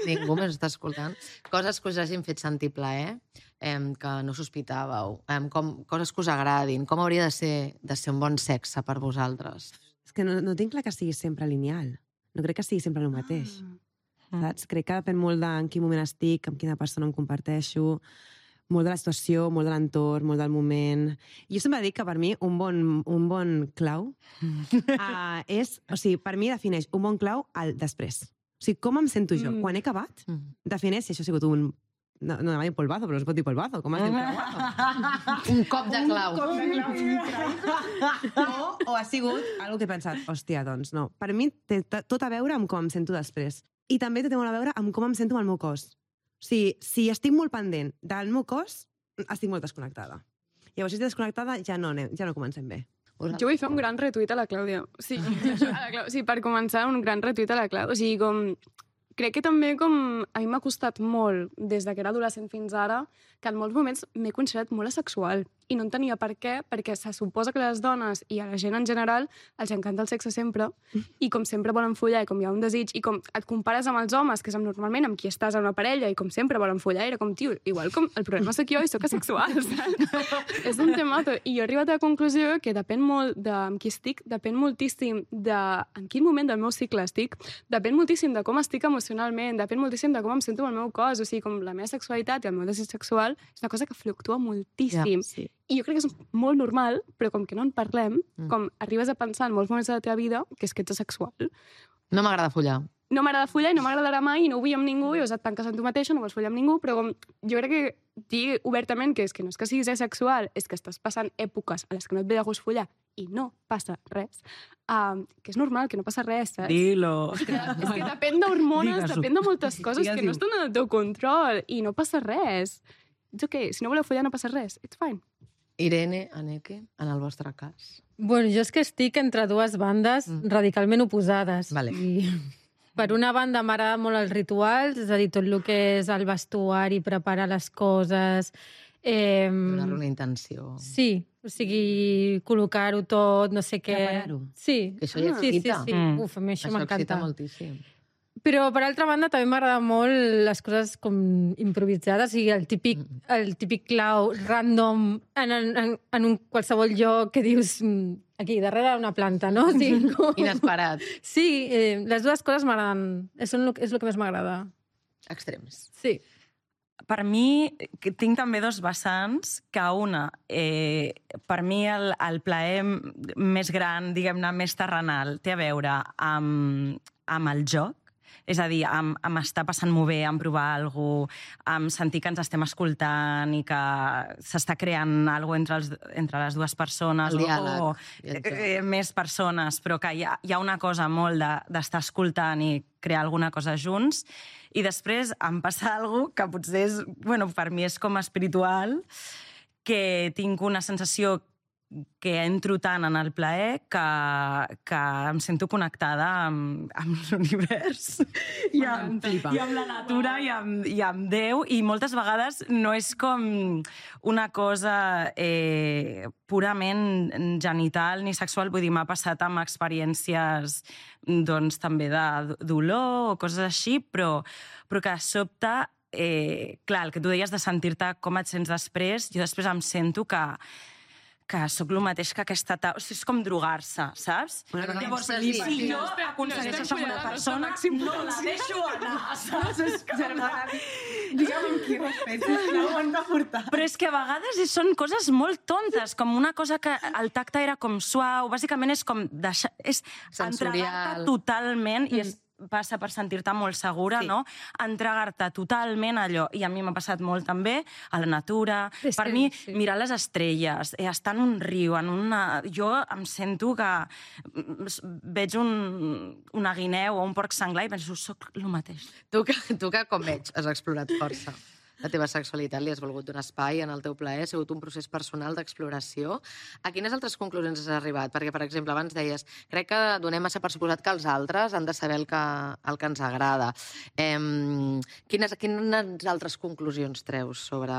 Ningú més està escoltant. Coses que us hagin fet sentir plaer, eh, que no sospitàveu, eh, com, coses que us agradin, com hauria de ser, de ser un bon sexe per vosaltres. És que no, no tinc clar que sigui sempre lineal. No crec que sigui sempre el mateix. Ah. Saps? Crec que depèn molt de en quin moment estic, amb quina persona em comparteixo, molt de la situació, molt de l'entorn, molt del moment. Jo sempre dic que per mi un bon, un bon clau uh, és... O sigui, per mi defineix un bon clau al després. O sigui, com em sento jo? Mm. Quan he acabat, mm. defineix si això ha sigut un... No, no anava a dir polvazo, però no es pot dir polvazo. Com has dit polvazo? Un cop de clau. Un cop de clau. o, o ha sigut algo que he pensat, hòstia, doncs no. Per mi té tot a veure amb com em sento després. I també té molt a veure amb com em sento amb el meu cos. O sigui, si estic molt pendent del meu cos, estic molt desconnectada. Llavors, si estic desconnectada, ja no, ja no comencem bé. Jo vull fer un gran retuit a la Clàudia. Sí, a la Clàudia. Sí, per començar, un gran retuit a la Clàudia. O sigui, com... Crec que també com a mi m'ha costat molt, des que era adolescent fins ara, que en molts moments m'he considerat molt asexual. I no entenia per què, perquè se suposa que les dones i a la gent en general els encanta el sexe sempre, i com sempre volen follar, i com hi ha un desig, i com et compares amb els homes, que és normalment amb qui estàs a una parella, i com sempre volen follar, era com, tio, igual com el problema sóc jo i sóc asexual, saps? És un temato. I jo he arribat a la conclusió que depèn molt de amb qui estic, depèn moltíssim de en quin moment del meu cicle estic, depèn moltíssim de com estic emocionalment, depèn moltíssim de com em sento amb el meu cos, o sigui, com la meva sexualitat i el meu desig sexual és una cosa que fluctua moltíssim. Ja, sí. I jo crec que és molt normal, però com que no en parlem, mm. com arribes a pensar en molts moments de la teva vida que és que ets asexual. No m'agrada follar. No m'agrada follar i no m'agradarà mai i no ho vull amb ningú i o et tanques en tu mateixa, no vols follar amb ningú, però com jo crec que dir obertament que és que no és que siguis asexual, és que estàs passant èpoques a les que no et ve de gust follar i no passa res, um, que és normal, que no passa res, saps? Dilo. És que, és que depèn d'hormones, depèn de moltes coses que no estan en el teu control i no passa res. It's okay, si no voleu follar no passa res, it's fine. Irene, Anneke, en el vostre cas? Bueno, jo és que estic entre dues bandes mm. radicalment oposades. Vale. I per una banda m'agrada molt els rituals, és a dir, tot el que és el vestuari, preparar les coses... Eh, donar-ho una intenció. Sí, o sigui, col·locar-ho tot, no sé què... Preparar-ho. Sí. Que això ja sí, excita. sí, sí. Mm. Uf, a mi això, això m'encanta. Això excita moltíssim. Però, per altra banda, també m'agrada molt les coses com improvisades, o sigui, el típic, el típic clau random en, en, en un qualsevol lloc que dius aquí, darrere una planta, no? O sigui, com... Inesperat. Sí, eh, les dues coses m'agraden. És, és el que més m'agrada. Extrems. Sí. Per mi, tinc també dos vessants, que una, eh, per mi el, el plaer més gran, diguem-ne, més terrenal, té a veure amb, amb el joc. És a dir, amb, amb estar passant-m'ho bé, amb provar alguna cosa, amb sentir que ens estem escoltant i que s'està creant alguna cosa entre, els, entre les dues persones. El diàleg. O, o eh, més persones, però que hi ha, hi ha una cosa molt d'estar de, escoltant i crear alguna cosa junts. I després em passa alguna cosa que potser és, bueno, per mi és com espiritual, que tinc una sensació que entro tant en el plaer que, que em sento connectada amb, amb l'univers i, amb, i amb la natura i amb, i amb Déu, i moltes vegades no és com una cosa eh, purament genital ni sexual, vull dir, m'ha passat amb experiències doncs, també de dolor o coses així, però, però que de sobte, eh, clar, el que tu deies de sentir-te com et sents després, jo després em sento que que sóc el mateix que aquesta taula. O sigui, és com drogar-se, saps? Bueno, no, Llavors, no, si sí, jo aconsegueixo això amb una persona, no la deixo anar, saps? Digue'm amb qui respecte, no ho han de portar. Però és que a vegades són coses molt tontes, com una cosa que el tacte era com suau, bàsicament és com deixar... És entregar-te totalment, i és passa per sentir-te molt segura, sí. no? Entregar-te totalment a allò. I a mi m'ha passat molt també a la natura. És per que, mi, sí. mirar les estrelles, estar en un riu, en una... Jo em sento que veig un, una guineu o un porc senglar i penso, soc el mateix. Tu que, tu que com veig, has explorat força la teva sexualitat, li has volgut donar espai en el teu plaer, ha sigut un procés personal d'exploració. A quines altres conclusions has arribat? Perquè, per exemple, abans deies, crec que donem massa per suposat que els altres han de saber el que, el que ens agrada. Eh, quines, quines altres conclusions treus sobre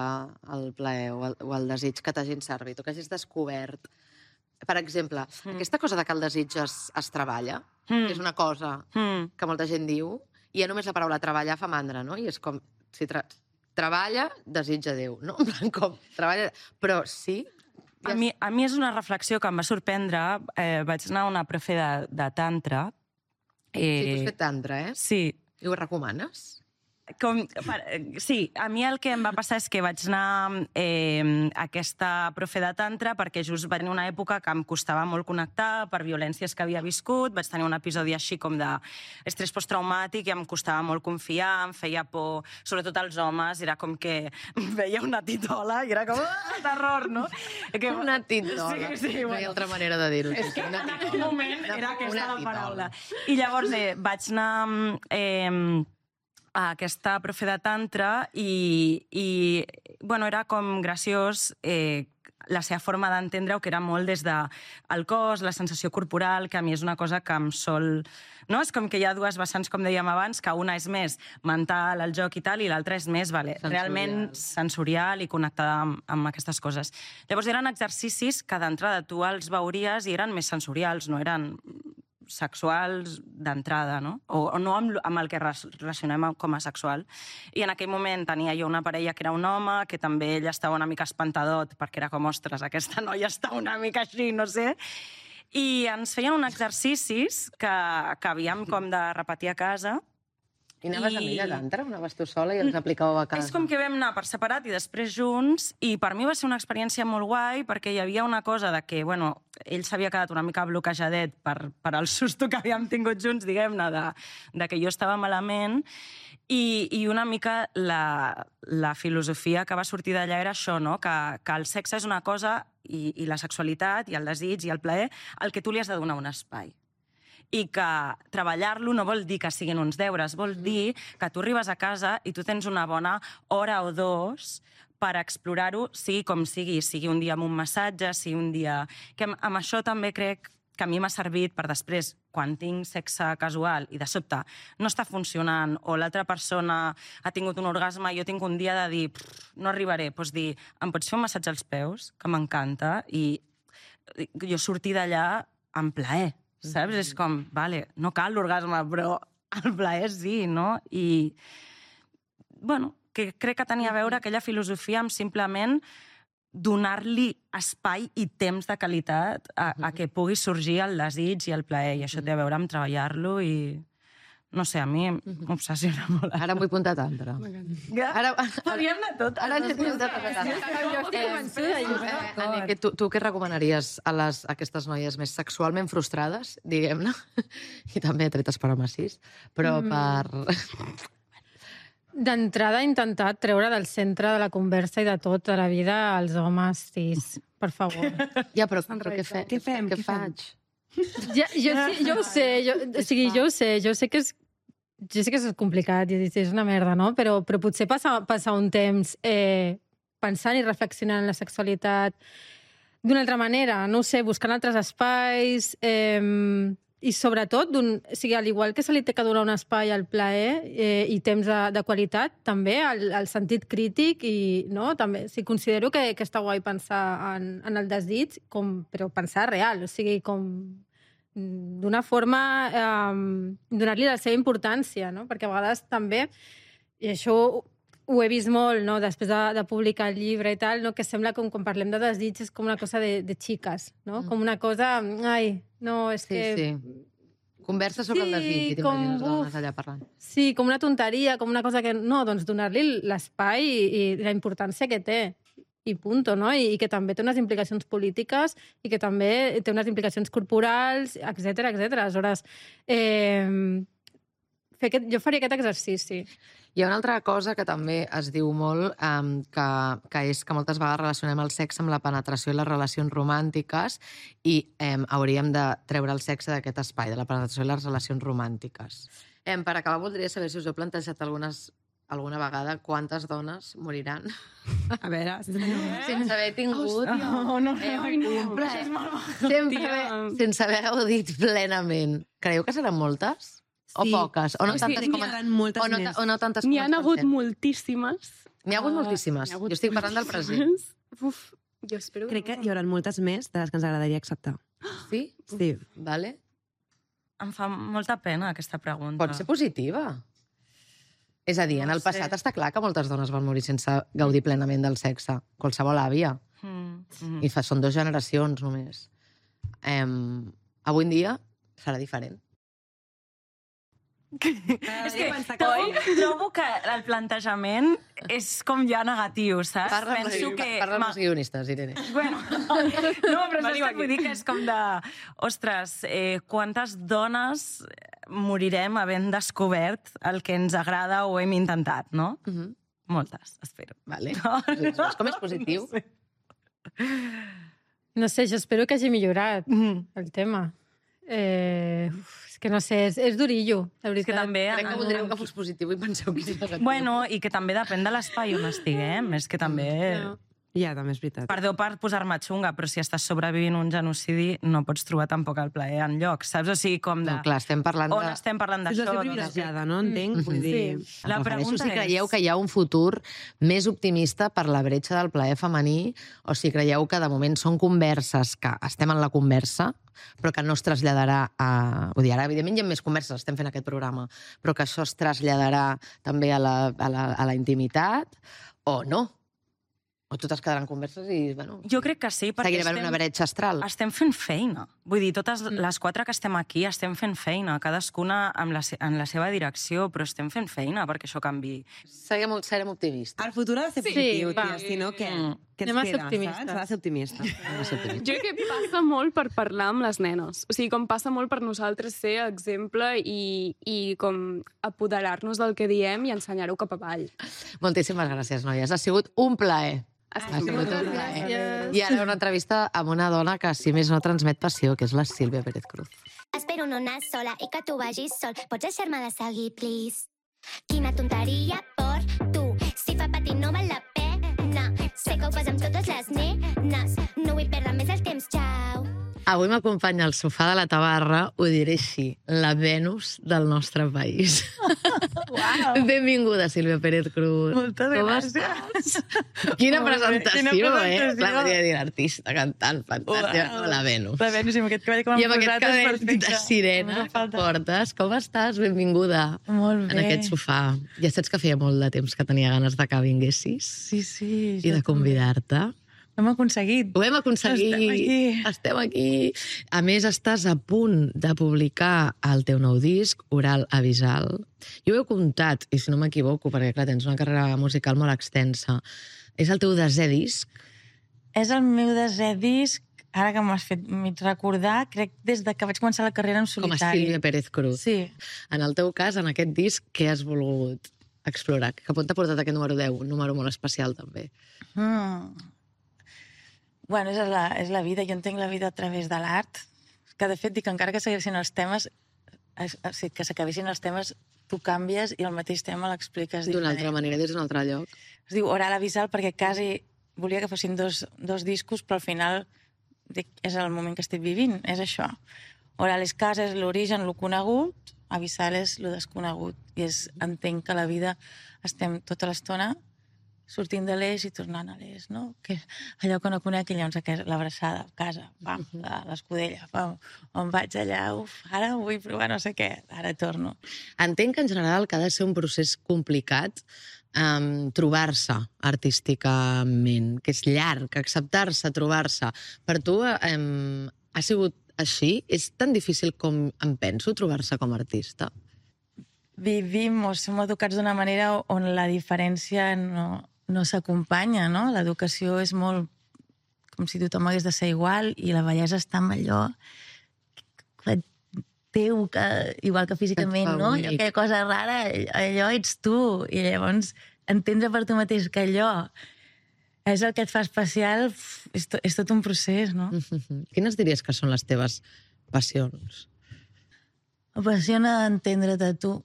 el plaer o el, o el desig que t'hagin servit o que hagis descobert per exemple, mm. aquesta cosa de que el desig es, es treballa, mm. que és una cosa mm. que molta gent diu, i ja només la paraula treballar fa mandra, no? I és com, si tra treballa, desitja Déu, no? En plan, com, treballa... Però sí... A mi, a mi és una reflexió que em va sorprendre. Eh, vaig anar a una profe de, de tantra. Eh... Sí, tu has fet tantra, eh? Sí. I ho recomanes? Com, sí, a mi el que em va passar és que vaig anar eh, a aquesta profe de tantra perquè just va tenir una època que em costava molt connectar per violències que havia viscut, vaig tenir un episodi així com d'estrès posttraumàtic i em costava molt confiar, em feia por, sobretot als homes, era com que veia una titola i era com ah, terror, no? Que... Una titola, sí, sí, no bueno. hi ha altra manera de dir-ho. És que en aquell moment era aquesta la paraula. I llavors eh, vaig anar... Eh, a aquesta profe de tantra i, i bueno, era com graciós eh, la seva forma d'entendre-ho, que era molt des del cos, la sensació corporal, que a mi és una cosa que em sol... No? És com que hi ha dues vessants, com dèiem abans, que una és més mental, el joc i tal, i l'altra és més vale, sensorial. Realment sensorial i connectada amb, amb aquestes coses. Llavors eren exercicis que d'entrada tu els veuries i eren més sensorials, no eren sexuals d'entrada, no? O, o no amb, amb el que relacionem com a sexual. I en aquell moment tenia jo una parella que era un home, que també ell estava una mica espantadot, perquè era com, ostres, aquesta noia està una mica així, no sé. I ens feien uns exercicis que, que havíem com de repetir a casa. I anaves I... amb ella a tantra? Anaves tu sola i els aplicàveu a casa? És com que vam anar per separat i després junts, i per mi va ser una experiència molt guai, perquè hi havia una cosa de que, bueno, ell s'havia quedat una mica bloquejadet per, per el susto que havíem tingut junts, diguem-ne, de, de que jo estava malament, i, i una mica la, la filosofia que va sortir d'allà era això, no? Que, que el sexe és una cosa, i, i la sexualitat, i el desig, i el plaer, al que tu li has de donar un espai. I que treballar-lo no vol dir que siguin uns deures, vol dir que tu arribes a casa i tu tens una bona hora o dos per explorar-ho, sigui com sigui, sigui un dia amb un massatge, sigui un dia... Que amb, amb això també crec que a mi m'ha servit per després, quan tinc sexe casual i de sobte no està funcionant o l'altra persona ha tingut un orgasme i jo tinc un dia de dir no arribaré, doncs dir, em pots fer un massatge als peus, que m'encanta, i jo sortir d'allà amb plaer. Saps? És com, vale, no cal l'orgasme, però el plaer sí, no? I, bueno, que crec que tenia a veure aquella filosofia amb simplement donar-li espai i temps de qualitat a, a que pugui sorgir el desig i el plaer, i això té a veure amb treballar-lo i... No sé, a mi m'obsessiona molt. Ara em vull apuntar tantra. Ara podríem anar tot. Ara ens hem apuntat tantra. Jo estic convençuda. Tu, tu què recomanaries a, les, a aquestes noies més sexualment frustrades, diguem-ne, i també tretes per homes cis, però per... D'entrada, intentar treure del centre de la conversa i de tot de la vida els homes cis, per favor. Ja, però, però què, fe, què fem? Què, què faig? Ja, jo, jo ho sé, jo, o sigui, jo ho sé, jo sé que és jo sé que és complicat i és una merda, no? Però, però potser passar, passar un temps eh, pensant i reflexionant en la sexualitat d'una altra manera, no ho sé, buscant altres espais eh, i sobretot, o sigui, al igual que se li té que donar un espai al plaer eh, i temps de, de qualitat, també al, al sentit crític i, no? També, sí, considero que, que està guai pensar en, en el desig, com, però pensar real, o sigui, com d'una forma eh, donar-li la seva importància, no? Perquè a vegades també, i això ho he vist molt, no? Després de, de publicar el llibre i tal, no? Que sembla com quan parlem de desig és com una cosa de, de xiques, no? Mm. Com una cosa, ai, no, és sí, que... Sí. Conversa sobre sí, el desig i t'imagines dones allà parlant. Sí, com una tonteria, com una cosa que... No, doncs donar-li l'espai i, i la importància que té. I punto, no? I, i que també té unes implicacions polítiques i que també té unes implicacions corporals, etcètera, etcètera. Aleshores, eh, fer aquest, jo faria aquest exercici. Hi ha una altra cosa que també es diu molt, um, que, que és que moltes vegades relacionem el sexe amb la penetració i les relacions romàntiques i um, hauríem de treure el sexe d'aquest espai, de la penetració i les relacions romàntiques. Um, per acabar, voldria saber si us heu plantejat algunes alguna vegada quantes dones moriran a veure, sense haver tingut no, no, eh, no, un plaer. Sempre, sense haver-ho dit plenament. Creieu que seran moltes? Sí. O poques? O no sí, tantes sí, com... moltes o no, més. O no tantes com... N'hi ha hagut moltíssimes. N'hi ha hagut moltíssimes. Ha hagut jo estic parlant del present. Uf, Jo espero Crec que hi haurà moltes més de les que ens agradaria acceptar. Sí? Sí. Vale. Em fa molta pena aquesta pregunta. Pot ser positiva. És a dir, No en el sé. passat està clar que moltes dones van morir sense gaudir plenament del sexe. Qualsevol àvia. Mm, mm. I fa, són dues generacions, només. Em, avui en dia serà diferent. És que trobo, trobo que el plantejament és com ja negatiu, saps? Parla amb Penso els, que... parla amb ma- els guionistes, Irene. Bueno, no, però saps què vull dir? Que és com de... Ostres, eh, quantes dones morirem havent descobert el que ens agrada o hem intentat, no? Uh -huh. Moltes, espero. Vale. No, Veus com és positiu? No sé. No sé, jo espero que hagi millorat Mm. el tema. Eh, uf, és que no sé, és, és durillo, la És que veritat. també... Crec que voldríeu que fos positiu i penseu que és negatiu. Bueno, i que també depèn de l'espai on estiguem. És que també... No. Ja, també és veritat. Perdó per posar-me xunga, però si estàs sobrevivint un genocidi no pots trobar tampoc el plaer enlloc, saps? O sigui, com de... No, clar, estem parlant On de... estem parlant És d'això? una doncs, privilegiada, no? Entenc? Vull dir... La Em refereixo pregunta si és- creieu que hi ha un futur més optimista per la bretxa del plaer femení o si creieu que de moment són converses que estem en la conversa però que no es traslladarà a... Vull dir, ara, evidentment, hi ha més converses, estem fent aquest programa, però que això es traslladarà també a la, a la, a la intimitat o no. O totes quedaran converses i, bueno... Jo crec que sí, perquè Seguirà havent una bretxa astral. estem fent feina. Vull dir, totes les quatre que estem aquí estem fent feina, cadascuna amb la, se- en la seva direcció, però estem fent feina perquè això canvi. Serem, serem optimistes. El futur ha de ser Sí, positiu, va. tia, si no, què? Mm. Què ens Anem a ser queda, optimistes. saps? Ha de ser optimista. Jo crec que passa molt per parlar amb les nenes. O sigui, com passa molt per nosaltres ser exemple i, i com apoderar-nos del que diem i ensenyar-ho cap avall. Moltíssimes gràcies, noies. Ha sigut un plaer. Ha Ha sigut un plaer. Gràcies. I ara una entrevista amb una dona que, si més no, transmet passió, que és la Sílvia Pérez Cruz. Espero no anar sola i que tu vagis sol. Pots deixar-me de seguir, please? Quina tonteria per tu. Si fa patir no val la pena. Sé que ho fas amb totes les nenes. No vull perdre més el temps, xau. Avui m'acompanya al sofà de la tabarra, ho diré així, la Venus del nostre país. Wow. Benvinguda, Sílvia Pérez Cruz. Moltes Com gràcies. estàs? Quina Molt bé, presentació, quina eh? presentació. La Maria dir artista, cantant, fantàstica. Wow. La Venus. La Venus, i amb aquest cavall que m'han I amb aquest posat és cabell perfecte. de sirena No que fa falta. portes. Com estàs? Benvinguda. Molt bé. En aquest sofà. Ja saps que feia molt de temps que tenia ganes de que vinguessis Sí, sí. i de convidar-te. Ho hem aconseguit. Ho hem aconseguit. Estem aquí. Estem aquí. A més, estàs a punt de publicar el teu nou disc, Oral Avisal. Jo ho he comptat, i si no m'equivoco, perquè clar, tens una carrera musical molt extensa. És el teu desè disc? És el meu desè disc, ara que m'has fet mig recordar, crec des de que vaig començar la carrera en Com a solitari. Sílvia Pérez Cruz. Sí. En el teu cas, en aquest disc, què has volgut explorar? Que punt t'ha portat aquest número deu? Un número molt especial, també. Mm. Bueno, és la, és la vida. Jo entenc la vida a través de l'art, que de fet dic que encara que segueixin els temes, es- o sigui, que s'acabessin els temes, tu canvies i el mateix tema l'expliques D'una diferent. altra manera, des d'un altre lloc. Es diu Oral Avisal perquè quasi volia que fossin dos, dos discos, però al final dic, és el moment que estic vivint, és això. Oral és casa, és l'origen, lo conegut, Avisal és lo desconegut. I és, entenc que a la vida estem tota l'estona sortint de l'eix i tornant a l'eix, no? Que és allò que no conec i llavors aquest- l'abraçada, casa, pam, la- l'escudella, pam, on vaig allà, uf, ara vull provar no sé què, ara torno. Entenc que en general que ha de ser un procés complicat um, trobar-se artísticament, que és llarg, acceptar-se, trobar-se. Per tu um, ha sigut així? És tan difícil com em penso trobar-se com a artista? Vivim o som educats d'una manera on la diferència no, no s'acompanya, no? L'educació és molt com si tothom hagués de ser igual i la bellesa està amb allò que teu, que, igual que físicament, Et fa no? únic. Allò, aquella cosa rara, allò ets tu. I llavors entendre per tu mateix que allò és el que et fa especial, uf, és, to, és tot un procés, no? Mm-hmm. Quines diries que són les teves passions? M'apassiona entendre't a tu,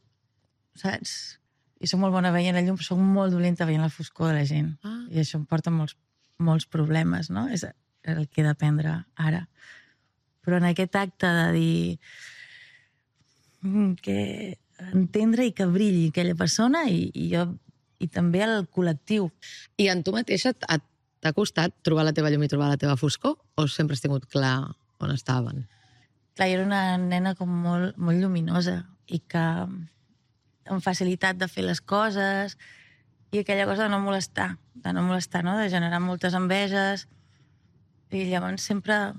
saps? I soc molt bona veient la llum, però soc molt dolenta veient la foscor de la gent. Ah. I això em porta molts, molts problemes, no? És el que he d'aprendre ara. Però en aquest acte de dir mm, que entendre i que brilli aquella persona i, i jo i també el col·lectiu. I en tu mateixa et, et T'ha costat trobar la teva llum i trobar la teva foscor? O sempre has tingut clar on estaven? Clar, jo era una nena com molt, molt lluminosa i que amb facilitat de fer les coses i aquella cosa de no molestar, de no molestar, no? De generar moltes enveges i llavors sempre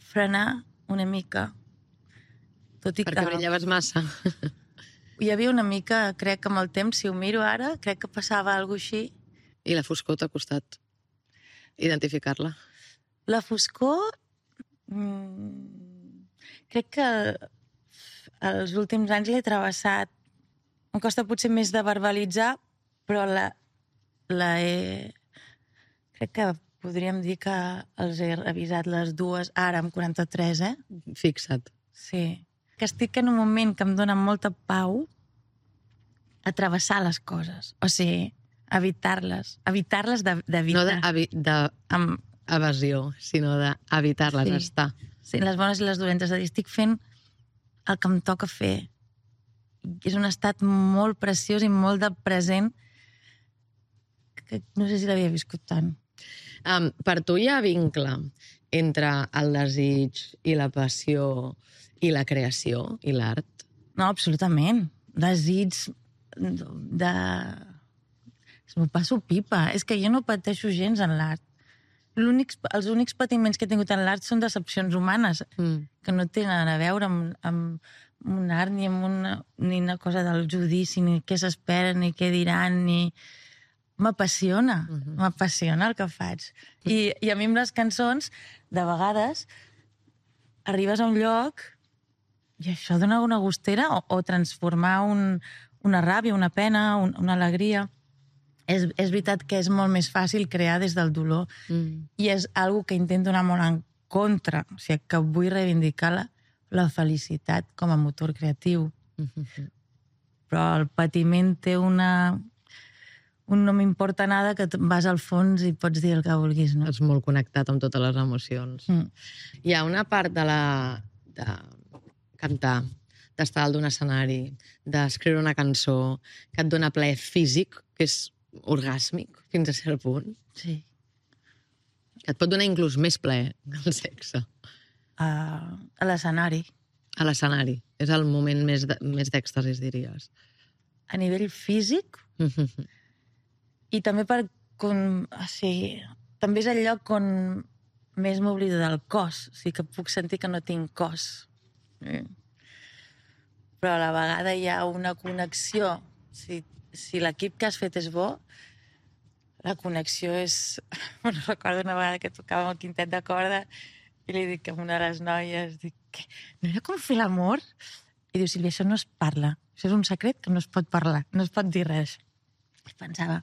frenar una mica. Tot i Perquè que... brillaves massa. Hi havia una mica, crec que amb el temps, si ho miro ara, crec que passava alguna cosa així. I la foscor t'ha costat identificar-la? La foscor... Mmm, crec que els últims anys l'he travessat. Em costa potser més de verbalitzar, però la, la he... Crec que podríem dir que els he revisat les dues, ara amb quaranta-tres, eh? Fixa't. Sí. Que estic en un moment que em dona molta pau a travessar les coses. O sigui, evitar-les. Evitar-les d'evitar. No d'evasió, amb... sinó d'evitar-les, sí. estar. Sí, les bones i les dolentes. És a dir, estic fent el que em toca fer. És un estat molt preciós i molt de present que no sé si l'havia viscut tant. Um, per tu hi ha vincle entre el desig i la passió i la creació i l'art? No, absolutament. Desig de... M'ho passo pipa. És que jo no pateixo gens en l'art. Els únics patiments que he tingut en l'art són decepcions humanes, mm. que no tenen a veure amb, amb un art ni amb una, ni una cosa del judici, ni què s'espera, ni què diran, ni... M'apassiona, mm-hmm. m'apassiona el que faig. I, I a mi amb les cançons, de vegades, arribes a un lloc i això dona una gustera o, o transformar un, una ràbia, una pena, un, una alegria. És, és veritat que és molt més fàcil crear des del dolor mm. i és algo que intento anar molt en contra. O sigui, que vull reivindicar la, la felicitat com a motor creatiu. Mm-hmm. Però el patiment té una... un no m'importa nada que vas al fons i pots dir el que vulguis, no? Ets molt connectat amb totes les emocions. Mm. Hi ha una part de la... de cantar, d'estar dalt d'un escenari, d'escriure una cançó, que et dona plaer físic, que és orgàsmic, fins a cert punt. Sí. Que et pot donar inclús més plaer que el sexe. Uh, a l'escenari. A l'escenari. És el moment més d'èxtasis, diries. A nivell físic... Mm-hmm. I també per... Com, o sigui, també és el lloc on més m'oblido del cos. O sigui, que puc sentir que no tinc cos. Mm. Però a la vegada hi ha una connexió. Si, si l'equip que has fet és bo, la connexió és... Bueno, recordo una vegada que tocàvem el quintet de corda i li dic a una de les noies, dic, què? No era com fer l'amor? I diu, Sílvia, això no es parla. Això és un secret que no es pot parlar, no es pot dir res. I pensava...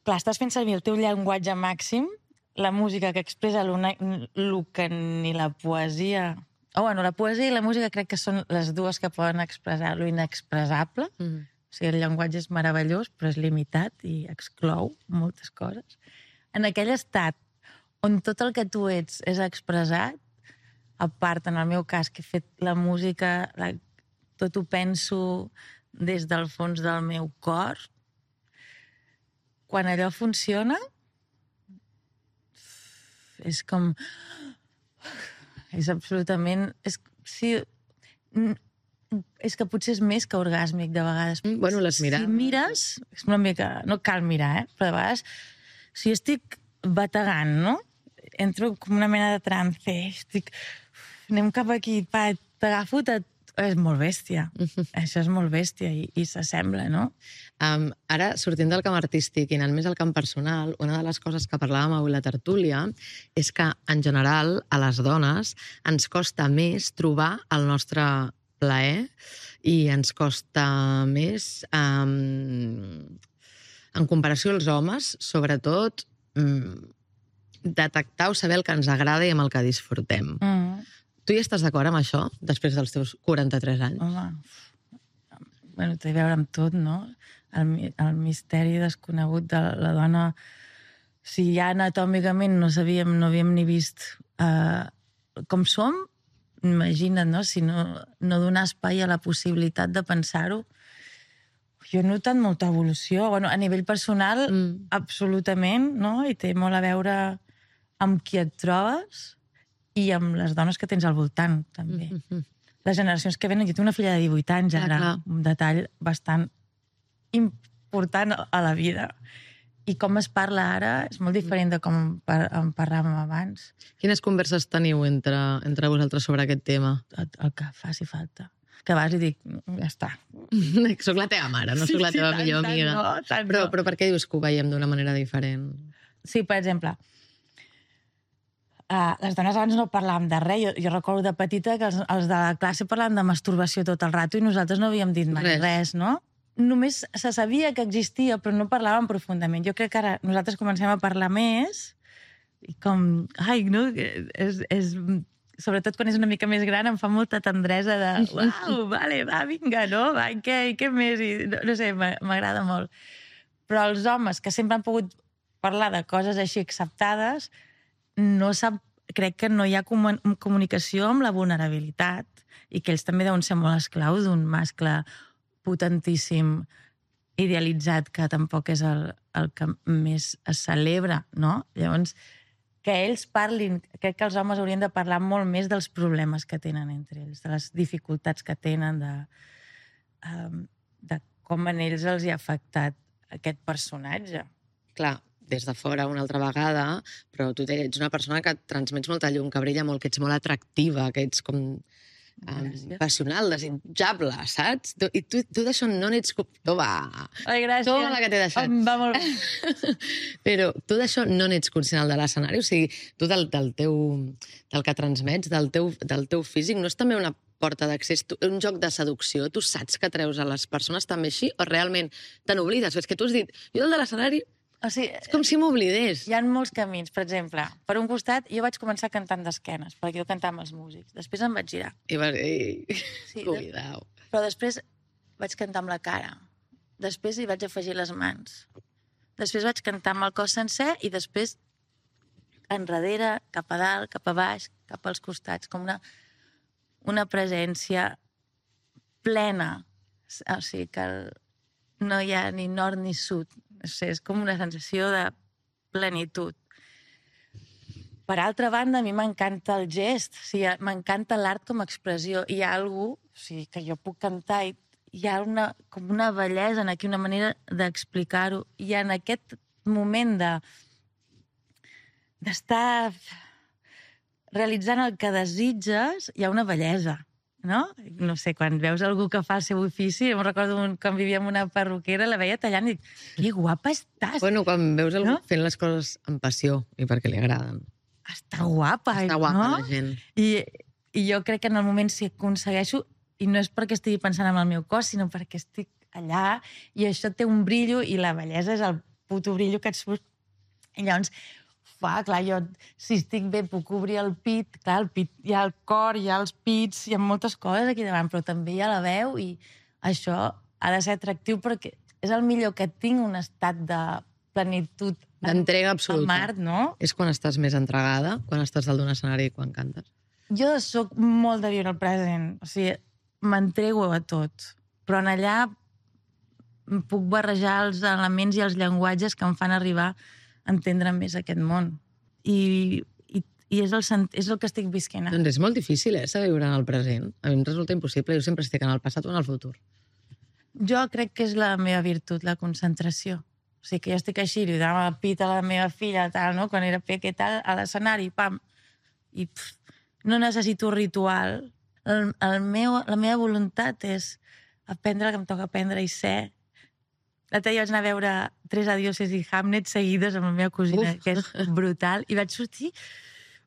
Clar, estàs fent servir el teu llenguatge màxim, la música que expressa el que ni la poesia... Oh, bueno, la poesia i la música crec que són les dues que poden expressar lo inexpressable. Mm. O sigui, el llenguatge és meravellós, però és limitat i exclou moltes coses. En aquell estat on tot el que tu ets és expressat, a part, en el meu cas, que he fet la música, la... tot ho penso des del fons del meu cor, quan allò funciona, és com... És absolutament... És, sí, és que potser és més que orgàsmic, de vegades. Mm, bueno, les mires... Si mires, és una mica... No cal mirar, eh? Però de vegades, si estic bategant, no? Entro com una mena de trance, estic... Anem cap aquí, pa, t'agafo, és molt bèstia. Això és molt bèstia i, i s'assembla, no? Um, ara, sortint del camp artístic i anant més al camp personal, una de les coses que parlàvem avui a la tertúlia és que, en general, a les dones ens costa més trobar el nostre plaer i ens costa més, um, en comparació als homes, sobretot, um, detectar o saber el que ens agrada i amb el que disfrutem. Mm. Tu hi estàs d'acord amb això, després dels teus quaranta-tres anys? Home, bueno, té a veure amb tot, no? El, el misteri desconegut de la dona. Si ja anatòmicament no sabíem, no havíem ni vist uh, com som, imagina't, no? Si no, no donar espai a la possibilitat de pensar-ho, jo he notat molta evolució. Bueno, a nivell personal, mm. absolutament, no? I té molt a veure amb qui et trobes i amb les dones que tens al voltant, també. Mm-hmm. Les generacions que venen... Jo tinc una filla de divuit anys, ara, clar, clar. Un detall bastant important a la vida. I com es parla ara és molt diferent de com par en parlàvem abans. Quines converses teniu entre, entre vosaltres sobre aquest tema? El, el que faci falta. Que vas i dic, ja està. Soc la teva mare, no sí, soc la teva sí, millor tant, amiga. No, tant però, no. però per què dius que ho veiem d'una manera diferent? Sí, per exemple, uh, les dones abans no parlàvem de res. Jo, jo recordo de petita que els, els de la classe parlàvem de masturbació tot el rato i nosaltres no havíem dit mai res, res no? Només se sabia que existia, però no parlàvem profundament. Jo crec que ara nosaltres comencem a parlar més i com... Ai, no? És, és, sobretot quan és una mica més gran em fa molta tendresa de uau, vale, va, vinga, no? Va, i què, i què més? I, no, no sé, m'agrada molt. Però els homes que sempre han pogut parlar de coses així acceptades, no sap, crec que no hi ha comunicació amb la vulnerabilitat i que ells també deuen ser molt esclaus d'un mascle potentíssim, idealitzat, que tampoc és el, el que més es celebra, no? Llavors, que ells parlin, crec que els homes haurien de parlar molt més dels problemes que tenen entre ells, de les dificultats que tenen, de, um, de com en ells els hi ha afectat aquest personatge. Clar, des de fora una altra vegada, però tu ets una persona que transmets molta llum, que brilla molt, que ets molt atractiva, que ets com... Um, passional, desitjable, saps? Tu, I tu, tu d'això no n'ets... Toma! Ai, gràcies. Toma la que t'he deixat. Em va molt bé. Però tu d'això no n'ets conscient de l'escenari? O sigui, tu del, del teu... del que transmets, del teu, del teu físic, no és també una porta d'accés, un joc de seducció? Tu saps que treus a les persones també així? O realment te n'oblides? És que tu has dit, jo del de l'escenari... O sigui, és com si m'oblidés. Hi ha molts camins. Per exemple, per un costat, jo vaig començar cantant d'esquenes, perquè jo cantava amb els músics. Després em vaig girar. I va... I... Sí, Cuidao. Però després vaig cantar amb la cara. Després hi vaig afegir les mans. Després vaig cantar amb el cos sencer i després enrere, cap a dalt, cap a baix, cap als costats, com una, una presència plena. O sigui, que el... no hi ha ni nord ni sud. És com una sensació de plenitud. Per altra banda, a mi m'encanta el gest, o sigui, m'encanta l'art com a expressió. Hi ha algú, o sigui, que jo puc cantar i hi ha una, com una bellesa aquí, una manera d'explicar-ho. I en aquest moment de d'estar realitzant el que desitges, hi ha una bellesa. No? No sé, quan veus algú que fa el seu ofici, em recordo un, quan vivia en una perruquera, la veia tallant i dic, que guapa estàs! Bueno, quan veus algú no? fent les coses amb passió i perquè li agraden. Està guapa, Està guapa, no? la gent. I, I jo crec que en el moment si aconsegueixo, i no és perquè estigui pensant en el meu cos, sinó perquè estic allà i això té un brillo i la bellesa és el puto brillo que et surt. I llavors, fa, clar, jo, si estic bé, puc obrir el pit, clar, el pit, hi ha el cor, hi ha els pits, hi ha moltes coses aquí davant, però també hi ha la veu i això ha de ser atractiu perquè és el millor que tinc, un estat de plenitud, d'entrega absoluta. Al mar, no? És quan estàs més entregada, quan estàs dalt d'un escenari i quan cantes? Jo sóc molt de viure el present, o sigui, m'entrego a tot, però en allà puc barrejar els elements i els llenguatges que em fan arribar entendre més aquest món. I, i, i és, el, és el que estic visquent ara. Doncs és molt difícil, eh, saber viure en el present. A mi em resulta impossible. Jo sempre estic en el passat o en el futur. Jo crec que és la meva virtut, la concentració. O sigui, que jo estic així, li donava el pit a la meva filla, tal, no? Quan era peque, tal, a l'escenari, pam. I pff, no necessito ritual. El, el meu, la meva voluntat és aprendre el que em toca aprendre i ser. L'altre dia vaig anar a veure Tres adioses i Hamlet seguides amb la meva cosina, Uf. que és brutal, i vaig sortir...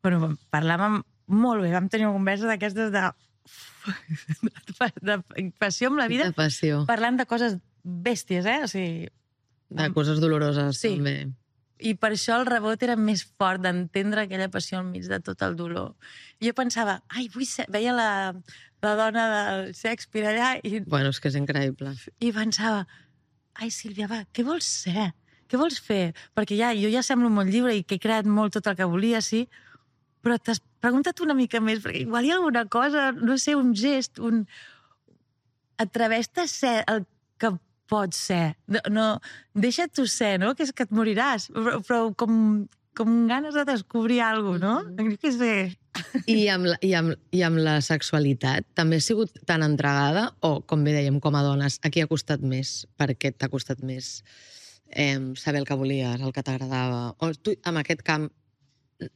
Bueno, parlàvem molt bé, vam tenir una conversa d'aquestes de... de passió amb la vida. De passió. Parlant de coses bèsties, eh? O sigui... De coses doloroses, sí. també. I per això el rebot era més fort d'entendre aquella passió enmig de tot el dolor. I jo pensava, ai, vull ser... Veia la, la dona del Shakespeare allà i... Bueno, és que és increïble. I pensava... Ai, Sílvia, va, què vols ser? Què vols fer? Perquè ja, jo ja semblo molt lliure i que he creat molt tot el que volia, sí, però t'has preguntat una mica més, perquè igual hi ha alguna cosa, no sé, un gest, un... Atreveix-te a ser el que pot ser. No, deixa't tu ser, no? Que és que et moriràs. Però, però com, com ganes de descobrir alguna cosa, no? Què sé... I amb, la, i, amb, I amb la sexualitat també has sigut tan entregada o, com bé dèiem, com a dones, a qui ha costat més? Per què t'ha costat més eh, saber el que volies, el que t'agradava? O tu, amb aquest camp,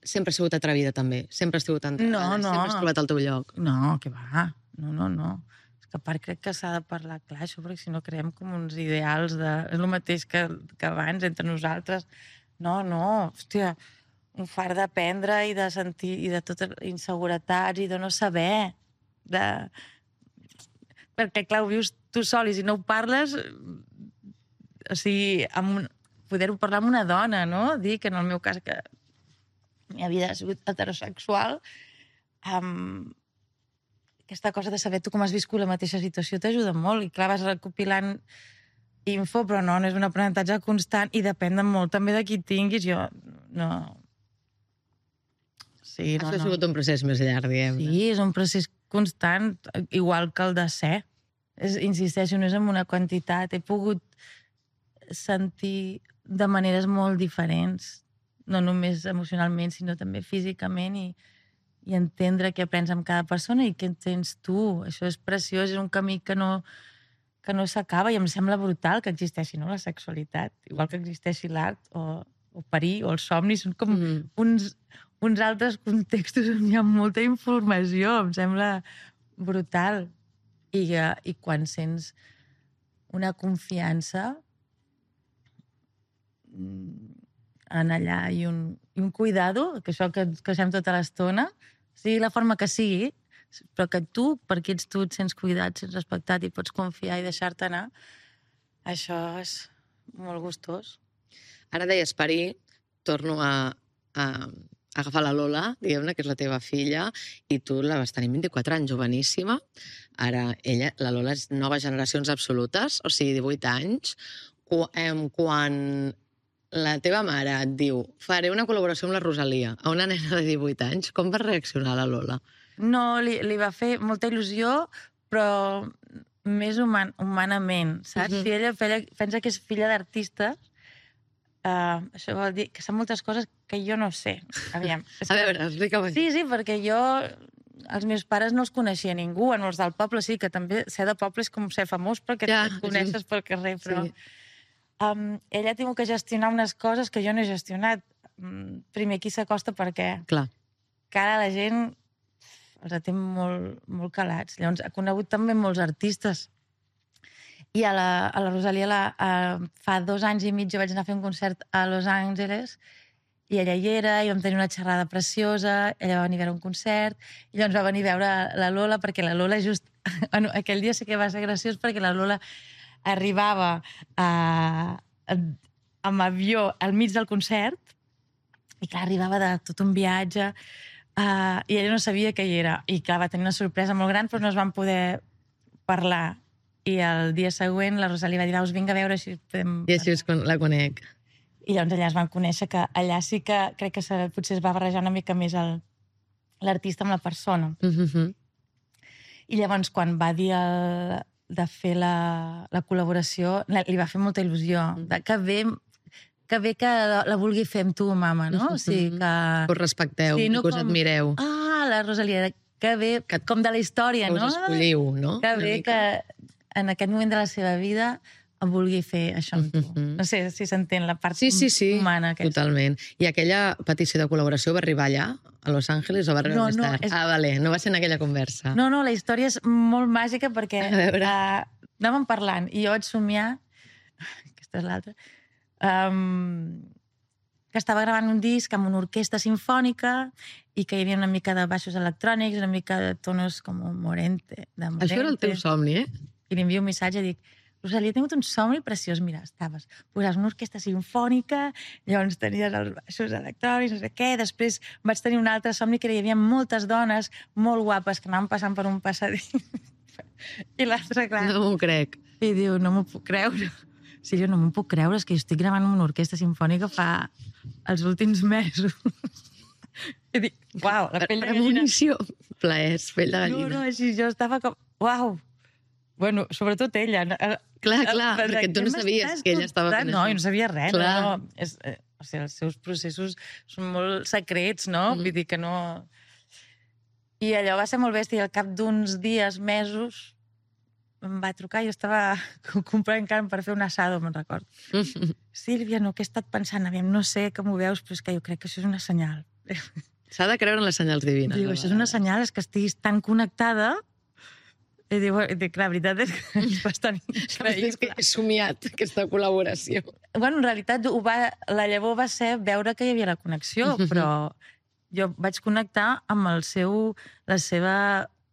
sempre has sigut atrevida, també? Sempre has sigut entregada? No, no. Sempre has trobat el teu lloc? No, que va. No, no, no. És que a part crec que s'ha de parlar clar, això, perquè si no creem com uns ideals de... És el mateix que, que abans, entre nosaltres. No, no, hòstia, un fart d'aprendre i de sentir, i de totes inseguretats, i de no saber. De... Perquè, clar, ho vius tu sol, i si no ho parles... O sigui, amb un... poder-ho parlar amb una dona, no? Dir que en el meu cas, que la meva vida ha sigut heterosexual, amb... aquesta cosa de saber tu com has viscut la mateixa situació t'ajuda molt. I clar, vas recopilant info, però no, no és un aprenentatge constant i depèn de molt també de qui tinguis. Jo no... Sí, no, Això ha no. sigut un procés més llarg, diguem. Sí, és un procés constant, igual que el de ser. És, insisteixo, no és en una quantitat. He pogut sentir de maneres molt diferents, no només emocionalment, sinó també físicament, i i entendre què aprens amb cada persona i què entens tu. Això és preciós, és un camí que no, que no s'acaba i em sembla brutal que existeixi, no?, la sexualitat, igual que existeixi l'art o, o parir o els somnis, són com mm. uns, uns altres contextos on hi ha molta informació, em sembla brutal. I, i quan sents una confiança en allà i un, i un cuidado, que això que, que fem tota l'estona, sigui la forma que sigui, però que tu, perquè ets tu, et sents cuidat, et sents respectat i pots confiar i deixar-te anar, això és molt gustós. Ara deies parir, torno a, a, a agafar la Lola, diguem-ne, que és la teva filla, i tu la vas tenir vint-i-quatre anys, joveníssima. Ara, ella, la Lola és noves generacions absolutes, o sigui, divuit anys. Quan la teva mare et diu faré una col·laboració amb la Rosalia a una nena de divuit anys, com va reaccionar la Lola? No, li, li va fer molta il·lusió, però més human, humanament, saps? Mm-hmm. Si ella, ella pensa que és filla d'artista, uh, això vol dir que sap moltes coses que jo no sé. Aviam. A veure, explica-ho. Sí, sí, perquè jo... Els meus pares no els coneixia ningú, en els del poble sí, que també ser de poble és com ser famós perquè ja, et coneixes sí. pel carrer, però... Sí. Um, ella ha tingut que gestionar unes coses que jo no he gestionat. Um, primer, qui s'acosta perquè... Clar. Cara la gent els té molt, molt calats. Llavors, ha conegut també molts artistes. I a la, a la Rosalia la, uh, fa dos anys i mig jo vaig anar a fer un concert a Los Angeles i ella hi era, i vam tenir una xerrada preciosa, ella va venir a veure un concert, i llavors va venir a veure la Lola, perquè la Lola just... Bueno, aquell dia sí que va ser graciós perquè la Lola arribava a, a, amb avió al mig del concert i clar, arribava de tot un viatge uh, i ella no sabia que hi era i clar, va tenir una sorpresa molt gran però no es van poder parlar i el dia següent la Rosalia va dir us vinc a veure si podem... I així la conec. I llavors allà es van conèixer que allà sí que crec que se, potser es va barrejar una mica més l'artista amb la persona. Mm-hmm. I llavors quan va dir el de fer la, la col·laboració, li va fer molta il·lusió. De, que, bé, que bé que la, la vulgui fer amb tu, mama, no? O sigui, que... Que us respecteu, sí, no que us com... admireu. Ah, la Rosalia, que bé, que, com de la història, no? Que us escolliu, no? Que bé que en aquest moment de la seva vida vulgui fer això amb tu. Mm-hmm. No sé si s'entén la part sí, sí, sí, humana. Aquesta. Totalment. I aquella petició de col·laboració va arribar allà, a Los Angeles, o va arribar no, més tard? No, és... Ah, vale, no va ser en aquella conversa. No, no, la història és molt màgica perquè uh, anàvem parlant i jo vaig somiar, aquesta és l'altra, um, que estava gravant un disc amb una orquestra sinfònica i que hi havia una mica de baixos electrònics, una mica de tonos com morente. De morente. Això era el teu somni, eh? I li envio un missatge i dic, Rosalia, he tingut un somni preciós. Mira, estaves, posaves una orquestra sinfònica, llavors tenies els baixos electrònics, no sé què, després vaig tenir un altre somni que hi havia moltes dones molt guapes que anaven passant per un passadís. I l'altre, clar... No m'ho crec. I diu, no m'ho puc creure. Sí, jo no m'ho puc creure, és que jo estic gravant una orquestra sinfònica fa els últims mesos. I dic, uau, la pell de gallina. Premonició. Plaers, pell de gallina. No, no, així jo estava com, uau. Bueno, sobretot ella. Clar, clar, perquè tu no sabies que ella estava fent no, això. No, jo no sabia res. No, no. És, eh, o sigui, els seus processos són molt secrets, no? Mm. Vull dir que no... I allò va ser molt bèstia. Al cap d'uns dies, mesos, em va trucar, jo estava comprant carn per fer un assado, me'n recordo. Sílvia, no, què he estat pensant? Aviam, no sé com ho veus, però és que jo crec que això és una senyal. S'ha de creure en les senyals divines. Diu, això és una senyal, és que estiguis tan connectada. I diu, dic, la veritat és que és bastant increïble. És que he somiat aquesta col·laboració. Bueno, en realitat, ho va, la llavor va ser veure que hi havia la connexió, però jo vaig connectar amb el seu, la seva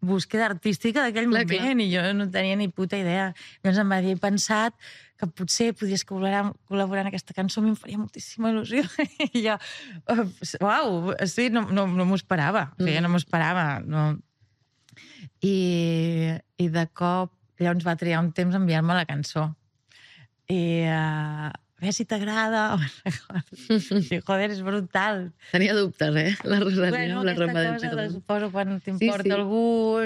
búsqueda artística d'aquell moment, clar. I jo no tenia ni puta idea. Llavors em va dir, he pensat que potser podies col·laborar, col·laborar en aquesta cançó, a mi em faria moltíssima il·lusió. I jo, uau, sí, no, no, no m'ho esperava, mm. jo no m'ho esperava. No. I, I de cop, llavors va triar un temps a enviar-me la cançó. I... Uh, a veure si t'agrada. Sí, joder, és brutal. Tenia dubtes, eh? La Rosalia, bueno, la Roma del Perdó. Suposo quan t'importa sí, sí. algú,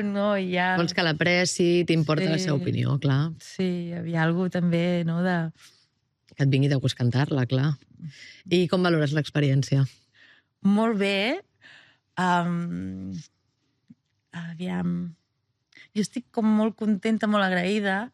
no? I ja... Vols que l'apreci, t'importa sí. la seva opinió, clar. Sí, hi havia alguna també, no? De... Que et vingui de gust cantar-la, clar. I com valores l'experiència? Molt bé. Um... Aviam... Jo estic com molt contenta, molt agraïda.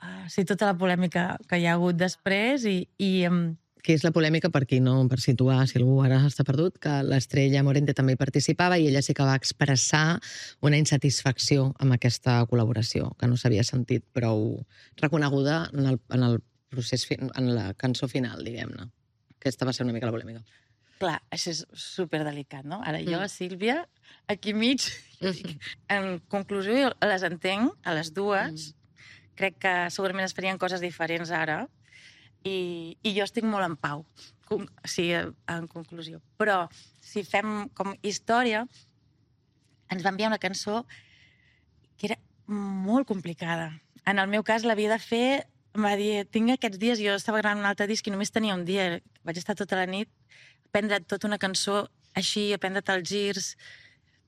Uh, sí, tota la polèmica que hi ha hagut després i... i um... que és la polèmica, per qui no, per situar, si algú ara està perdut, que l'Estrella Morente també hi participava i ella sí que va expressar una insatisfacció amb aquesta col·laboració, que no s'havia sentit prou reconeguda en el, en el procés, en la cançó final, diguem-ne. Aquesta va ser una mica la polèmica. Clar, això és superdelicat, no? Ara jo, mm. Sílvia, aquí mig, en conclusió, jo les entenc, a les dues, mm. crec que segurament es farien coses diferents ara i, i jo estic molt en pau, com, sí, en conclusió. Però si fem com història, ens va enviar una cançó que era molt complicada. En el meu cas l'havia de fer, em va dir, tinc aquests dies, jo estava gravant un altre disc i només tenia un dia, vaig estar tota la nit, aprendre tota una cançó així, aprendre els girs.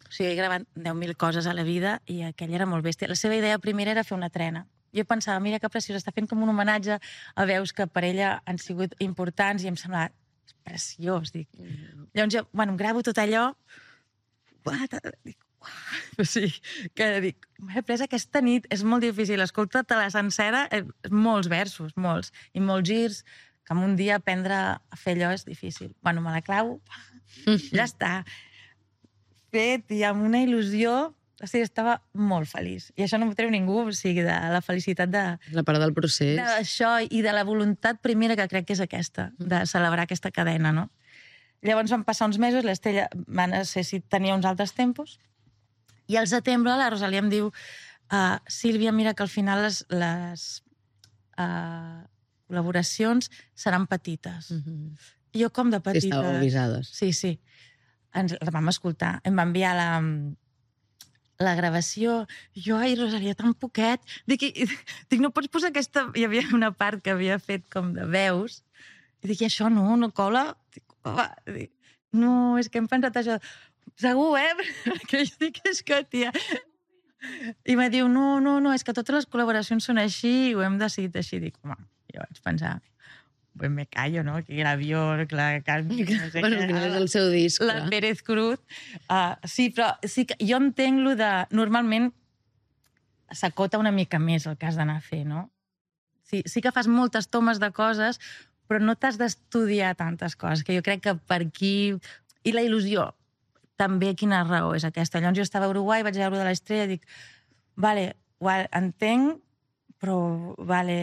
O sigui, he gravat deu mil coses a la vida i aquella era molt bèstia. La seva idea primera era fer una trena. Jo pensava, mira que preciós, està fent com un homenatge a veus que per ella han sigut importants i em semblava preciós. Dic. Mm. Llavors jo, bueno, em gravo tot allò, dic, uah, o sigui, que dic, m'he pres aquesta nit, és molt difícil, escolta-te la sencera, molts versos, molts, i molts girs, que en un dia aprendre a fer allò és difícil. Bueno, me la clavo, ja està. Fet, i amb una il·lusió... O sigui, estava molt feliç. I això no m'ho treu ningú, o sigui, de la felicitat de... La part del procés. D'això i de la voluntat primera que crec que és aquesta, de celebrar aquesta cadena, no? Llavors van passar uns mesos, l'Estella va necessitar tenia uns altres tempos, i al setembre la Rosalia em diu uh, Sílvia, mira que al final les, les uh, col·laboracions seran petites. Mm-hmm. I jo, com de petites? Sí, estàveu avisades. Sí, sí. Ens la vam escoltar. Em va enviar la... la gravació, jo, ai, Rosalia, tan poquet. Dic, dic, no pots posar aquesta... Hi havia una part que havia fet com de veus, i dic, això no, no cola. Dic, oh, dic, no, és que hem pensat això. Segur, eh? Que jo dic, és que, tia... I me diu, no, no, no, és que totes les col·laboracions són així i ho hem decidit així. Dic, home, jo vaig pensar... pues me callo, no? Que l'avió, la carn... No sé bueno, que no és el seu disc. La clar. Pérez Cruz. Uh, sí, però sí que jo entenc lo de... Normalment s'acota una mica més el que has d'anar a fer, no? Sí, sí que fas moltes tomes de coses, però no t'has d'estudiar tantes coses, que jo crec que per aquí... I la il·lusió, també quina raó és aquesta. Llavors jo estava a Uruguai, vaig veure de l'Estrella i dic, vale, entenc, però, vale...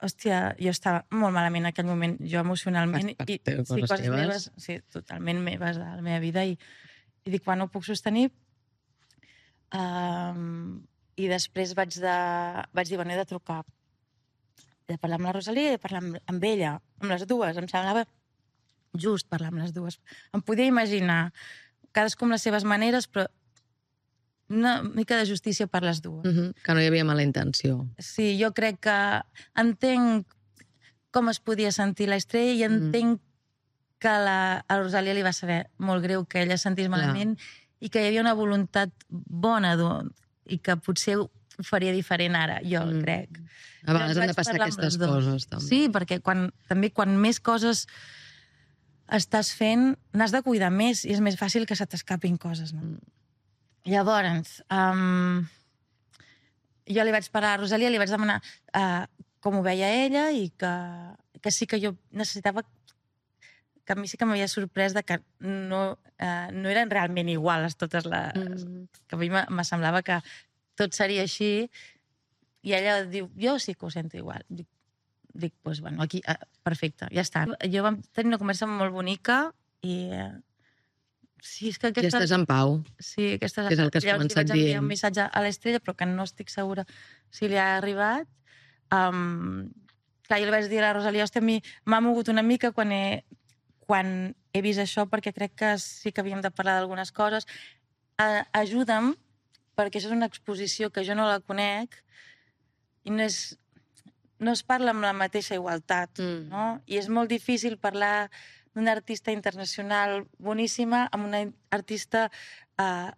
Hòstia, jo estava molt malament en aquell moment, jo emocionalment, per, per, i sí, coses, coses meves, sí, totalment meves de la meva vida, i, i dic, quan no ho puc sostenir, um, i després vaig, de, vaig dir, bueno, he de trucar, he de parlar amb la Rosalia i he de parlar amb, amb ella, amb les dues, em semblava just parlar amb les dues. Em podia imaginar, cadascú amb les seves maneres, però una mica de justícia per les dues. Uh-huh. Que no hi havia mala intenció. Sí, jo crec que entenc com es podia sentir l'Estrella i entenc uh-huh. que la, a la Rosalia li va saber molt greu que ella sentís malament yeah. i que hi havia una voluntat bona i que potser ho faria diferent ara, jo mm. crec. A vegades han de passar aquestes coses, també. Sí, perquè quan, també quan més coses estàs fent, n'has de cuidar més i és més fàcil que se t'escapin coses, no? Mm. Llavors, um, jo li vaig parar a Rosalia, li vaig demanar uh, com ho veia ella i que, que sí que jo necessitava, que a mi sí que m'havia sorprès de que no, uh, no eren realment iguals totes les... Mm. Que a mi me semblava que tot seria així i ella diu, jo sí que ho sento igual. Dic, dic pues, bueno, aquí, uh, perfecte, ja està. Jo vam tenir una conversa molt bonica i... Uh, sí, és que aquesta... Ja estàs en pau. Sí, aquesta... Que és el que has Llavors començat li vaig enviar dient. un missatge a l'Estrella, però que no estic segura si li ha arribat. Um, clar, jo li vaig dir a la Rosalia, hòstia, a mi m'ha mogut una mica quan he, quan he vist això, perquè crec que sí que havíem de parlar d'algunes coses. Uh, ajuda'm, perquè això és una exposició que jo no la conec i no, és, no es parla amb la mateixa igualtat, mm. no? I és molt difícil parlar d'una artista internacional boníssima amb una artista uh,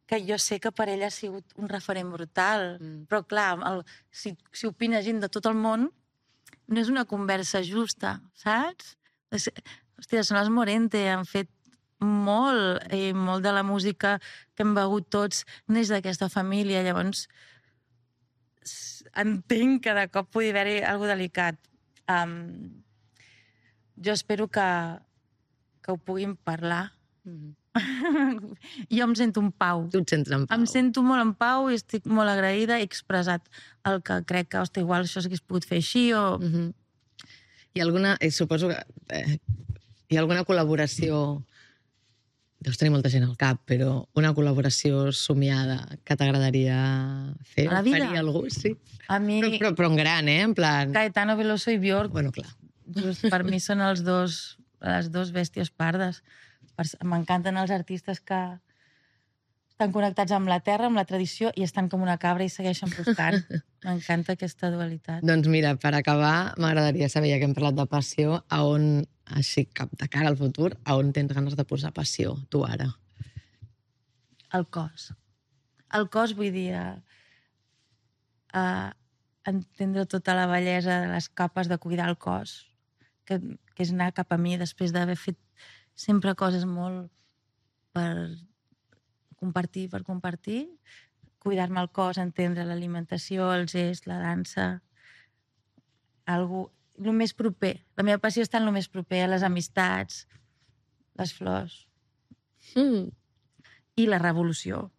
que jo sé que per ella ha sigut un referent brutal. Mm. Però, clar, el, si, si opina gent de tot el món, no és una conversa justa, saps? Hòstia, són els Morente, han fet molt, i molt de la música que hem begut tots neix d'aquesta família, llavors entenc que de cop pugui haver-hi alguna delicat. Um, jo espero que, que ho puguin parlar. Mm. Jo em sento en pau. Tu et sents en pau. Em sento molt en pau i estic molt agraïda. He expressat el que crec que, hòstia, igual això s'hagués pogut fer així o... Mm-hmm. Hi ha alguna... Eh, suposo que... Eh, hi ha alguna col·laboració... Deus tenir molta gent al cap, però una col·laboració somiada que t'agradaria fer? A la vida? Faria algú, sí. A mi... Però, però, però en gran, eh? En plan... Caetano Veloso i Björk. Bueno, clar. Just per mi són els dos, les dos bèsties pardes. M'encanten els artistes que estan connectats amb la terra, amb la tradició, i estan com una cabra i segueixen buscant. M'encanta aquesta dualitat. Doncs mira, per acabar, m'agradaria saber, ja que hem parlat de passió, a on, així cap de cara al futur, a on tens ganes de posar passió, tu ara? El cos. El cos, vull dir, uh, entendre tota la bellesa de les capes de cuidar el cos, que, que és anar cap a mi després d'haver fet sempre coses molt per compartir, per compartir, cuidar-me el cos, entendre l'alimentació, el gest, la dansa, algo, el més proper. La meva passió està en el més proper, a les amistats, les flors. Mm. I la revolució.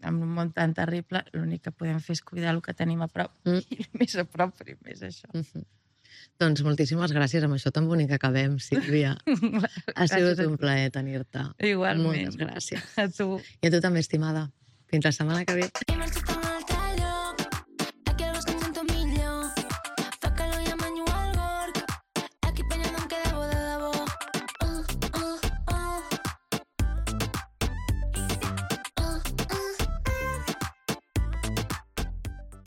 En un món tan terrible, l'únic que podem fer és cuidar el que tenim a prop. Mm. I més a prop, primer és això. Mm-hmm. Doncs moltíssimes gràcies, amb això tan bonic que acabem, Sílvia. Ha sigut un plaer tenir-te. Igualment. Moltes gràcies. A tu. I a tu també, estimada. Fins la setmana que ve.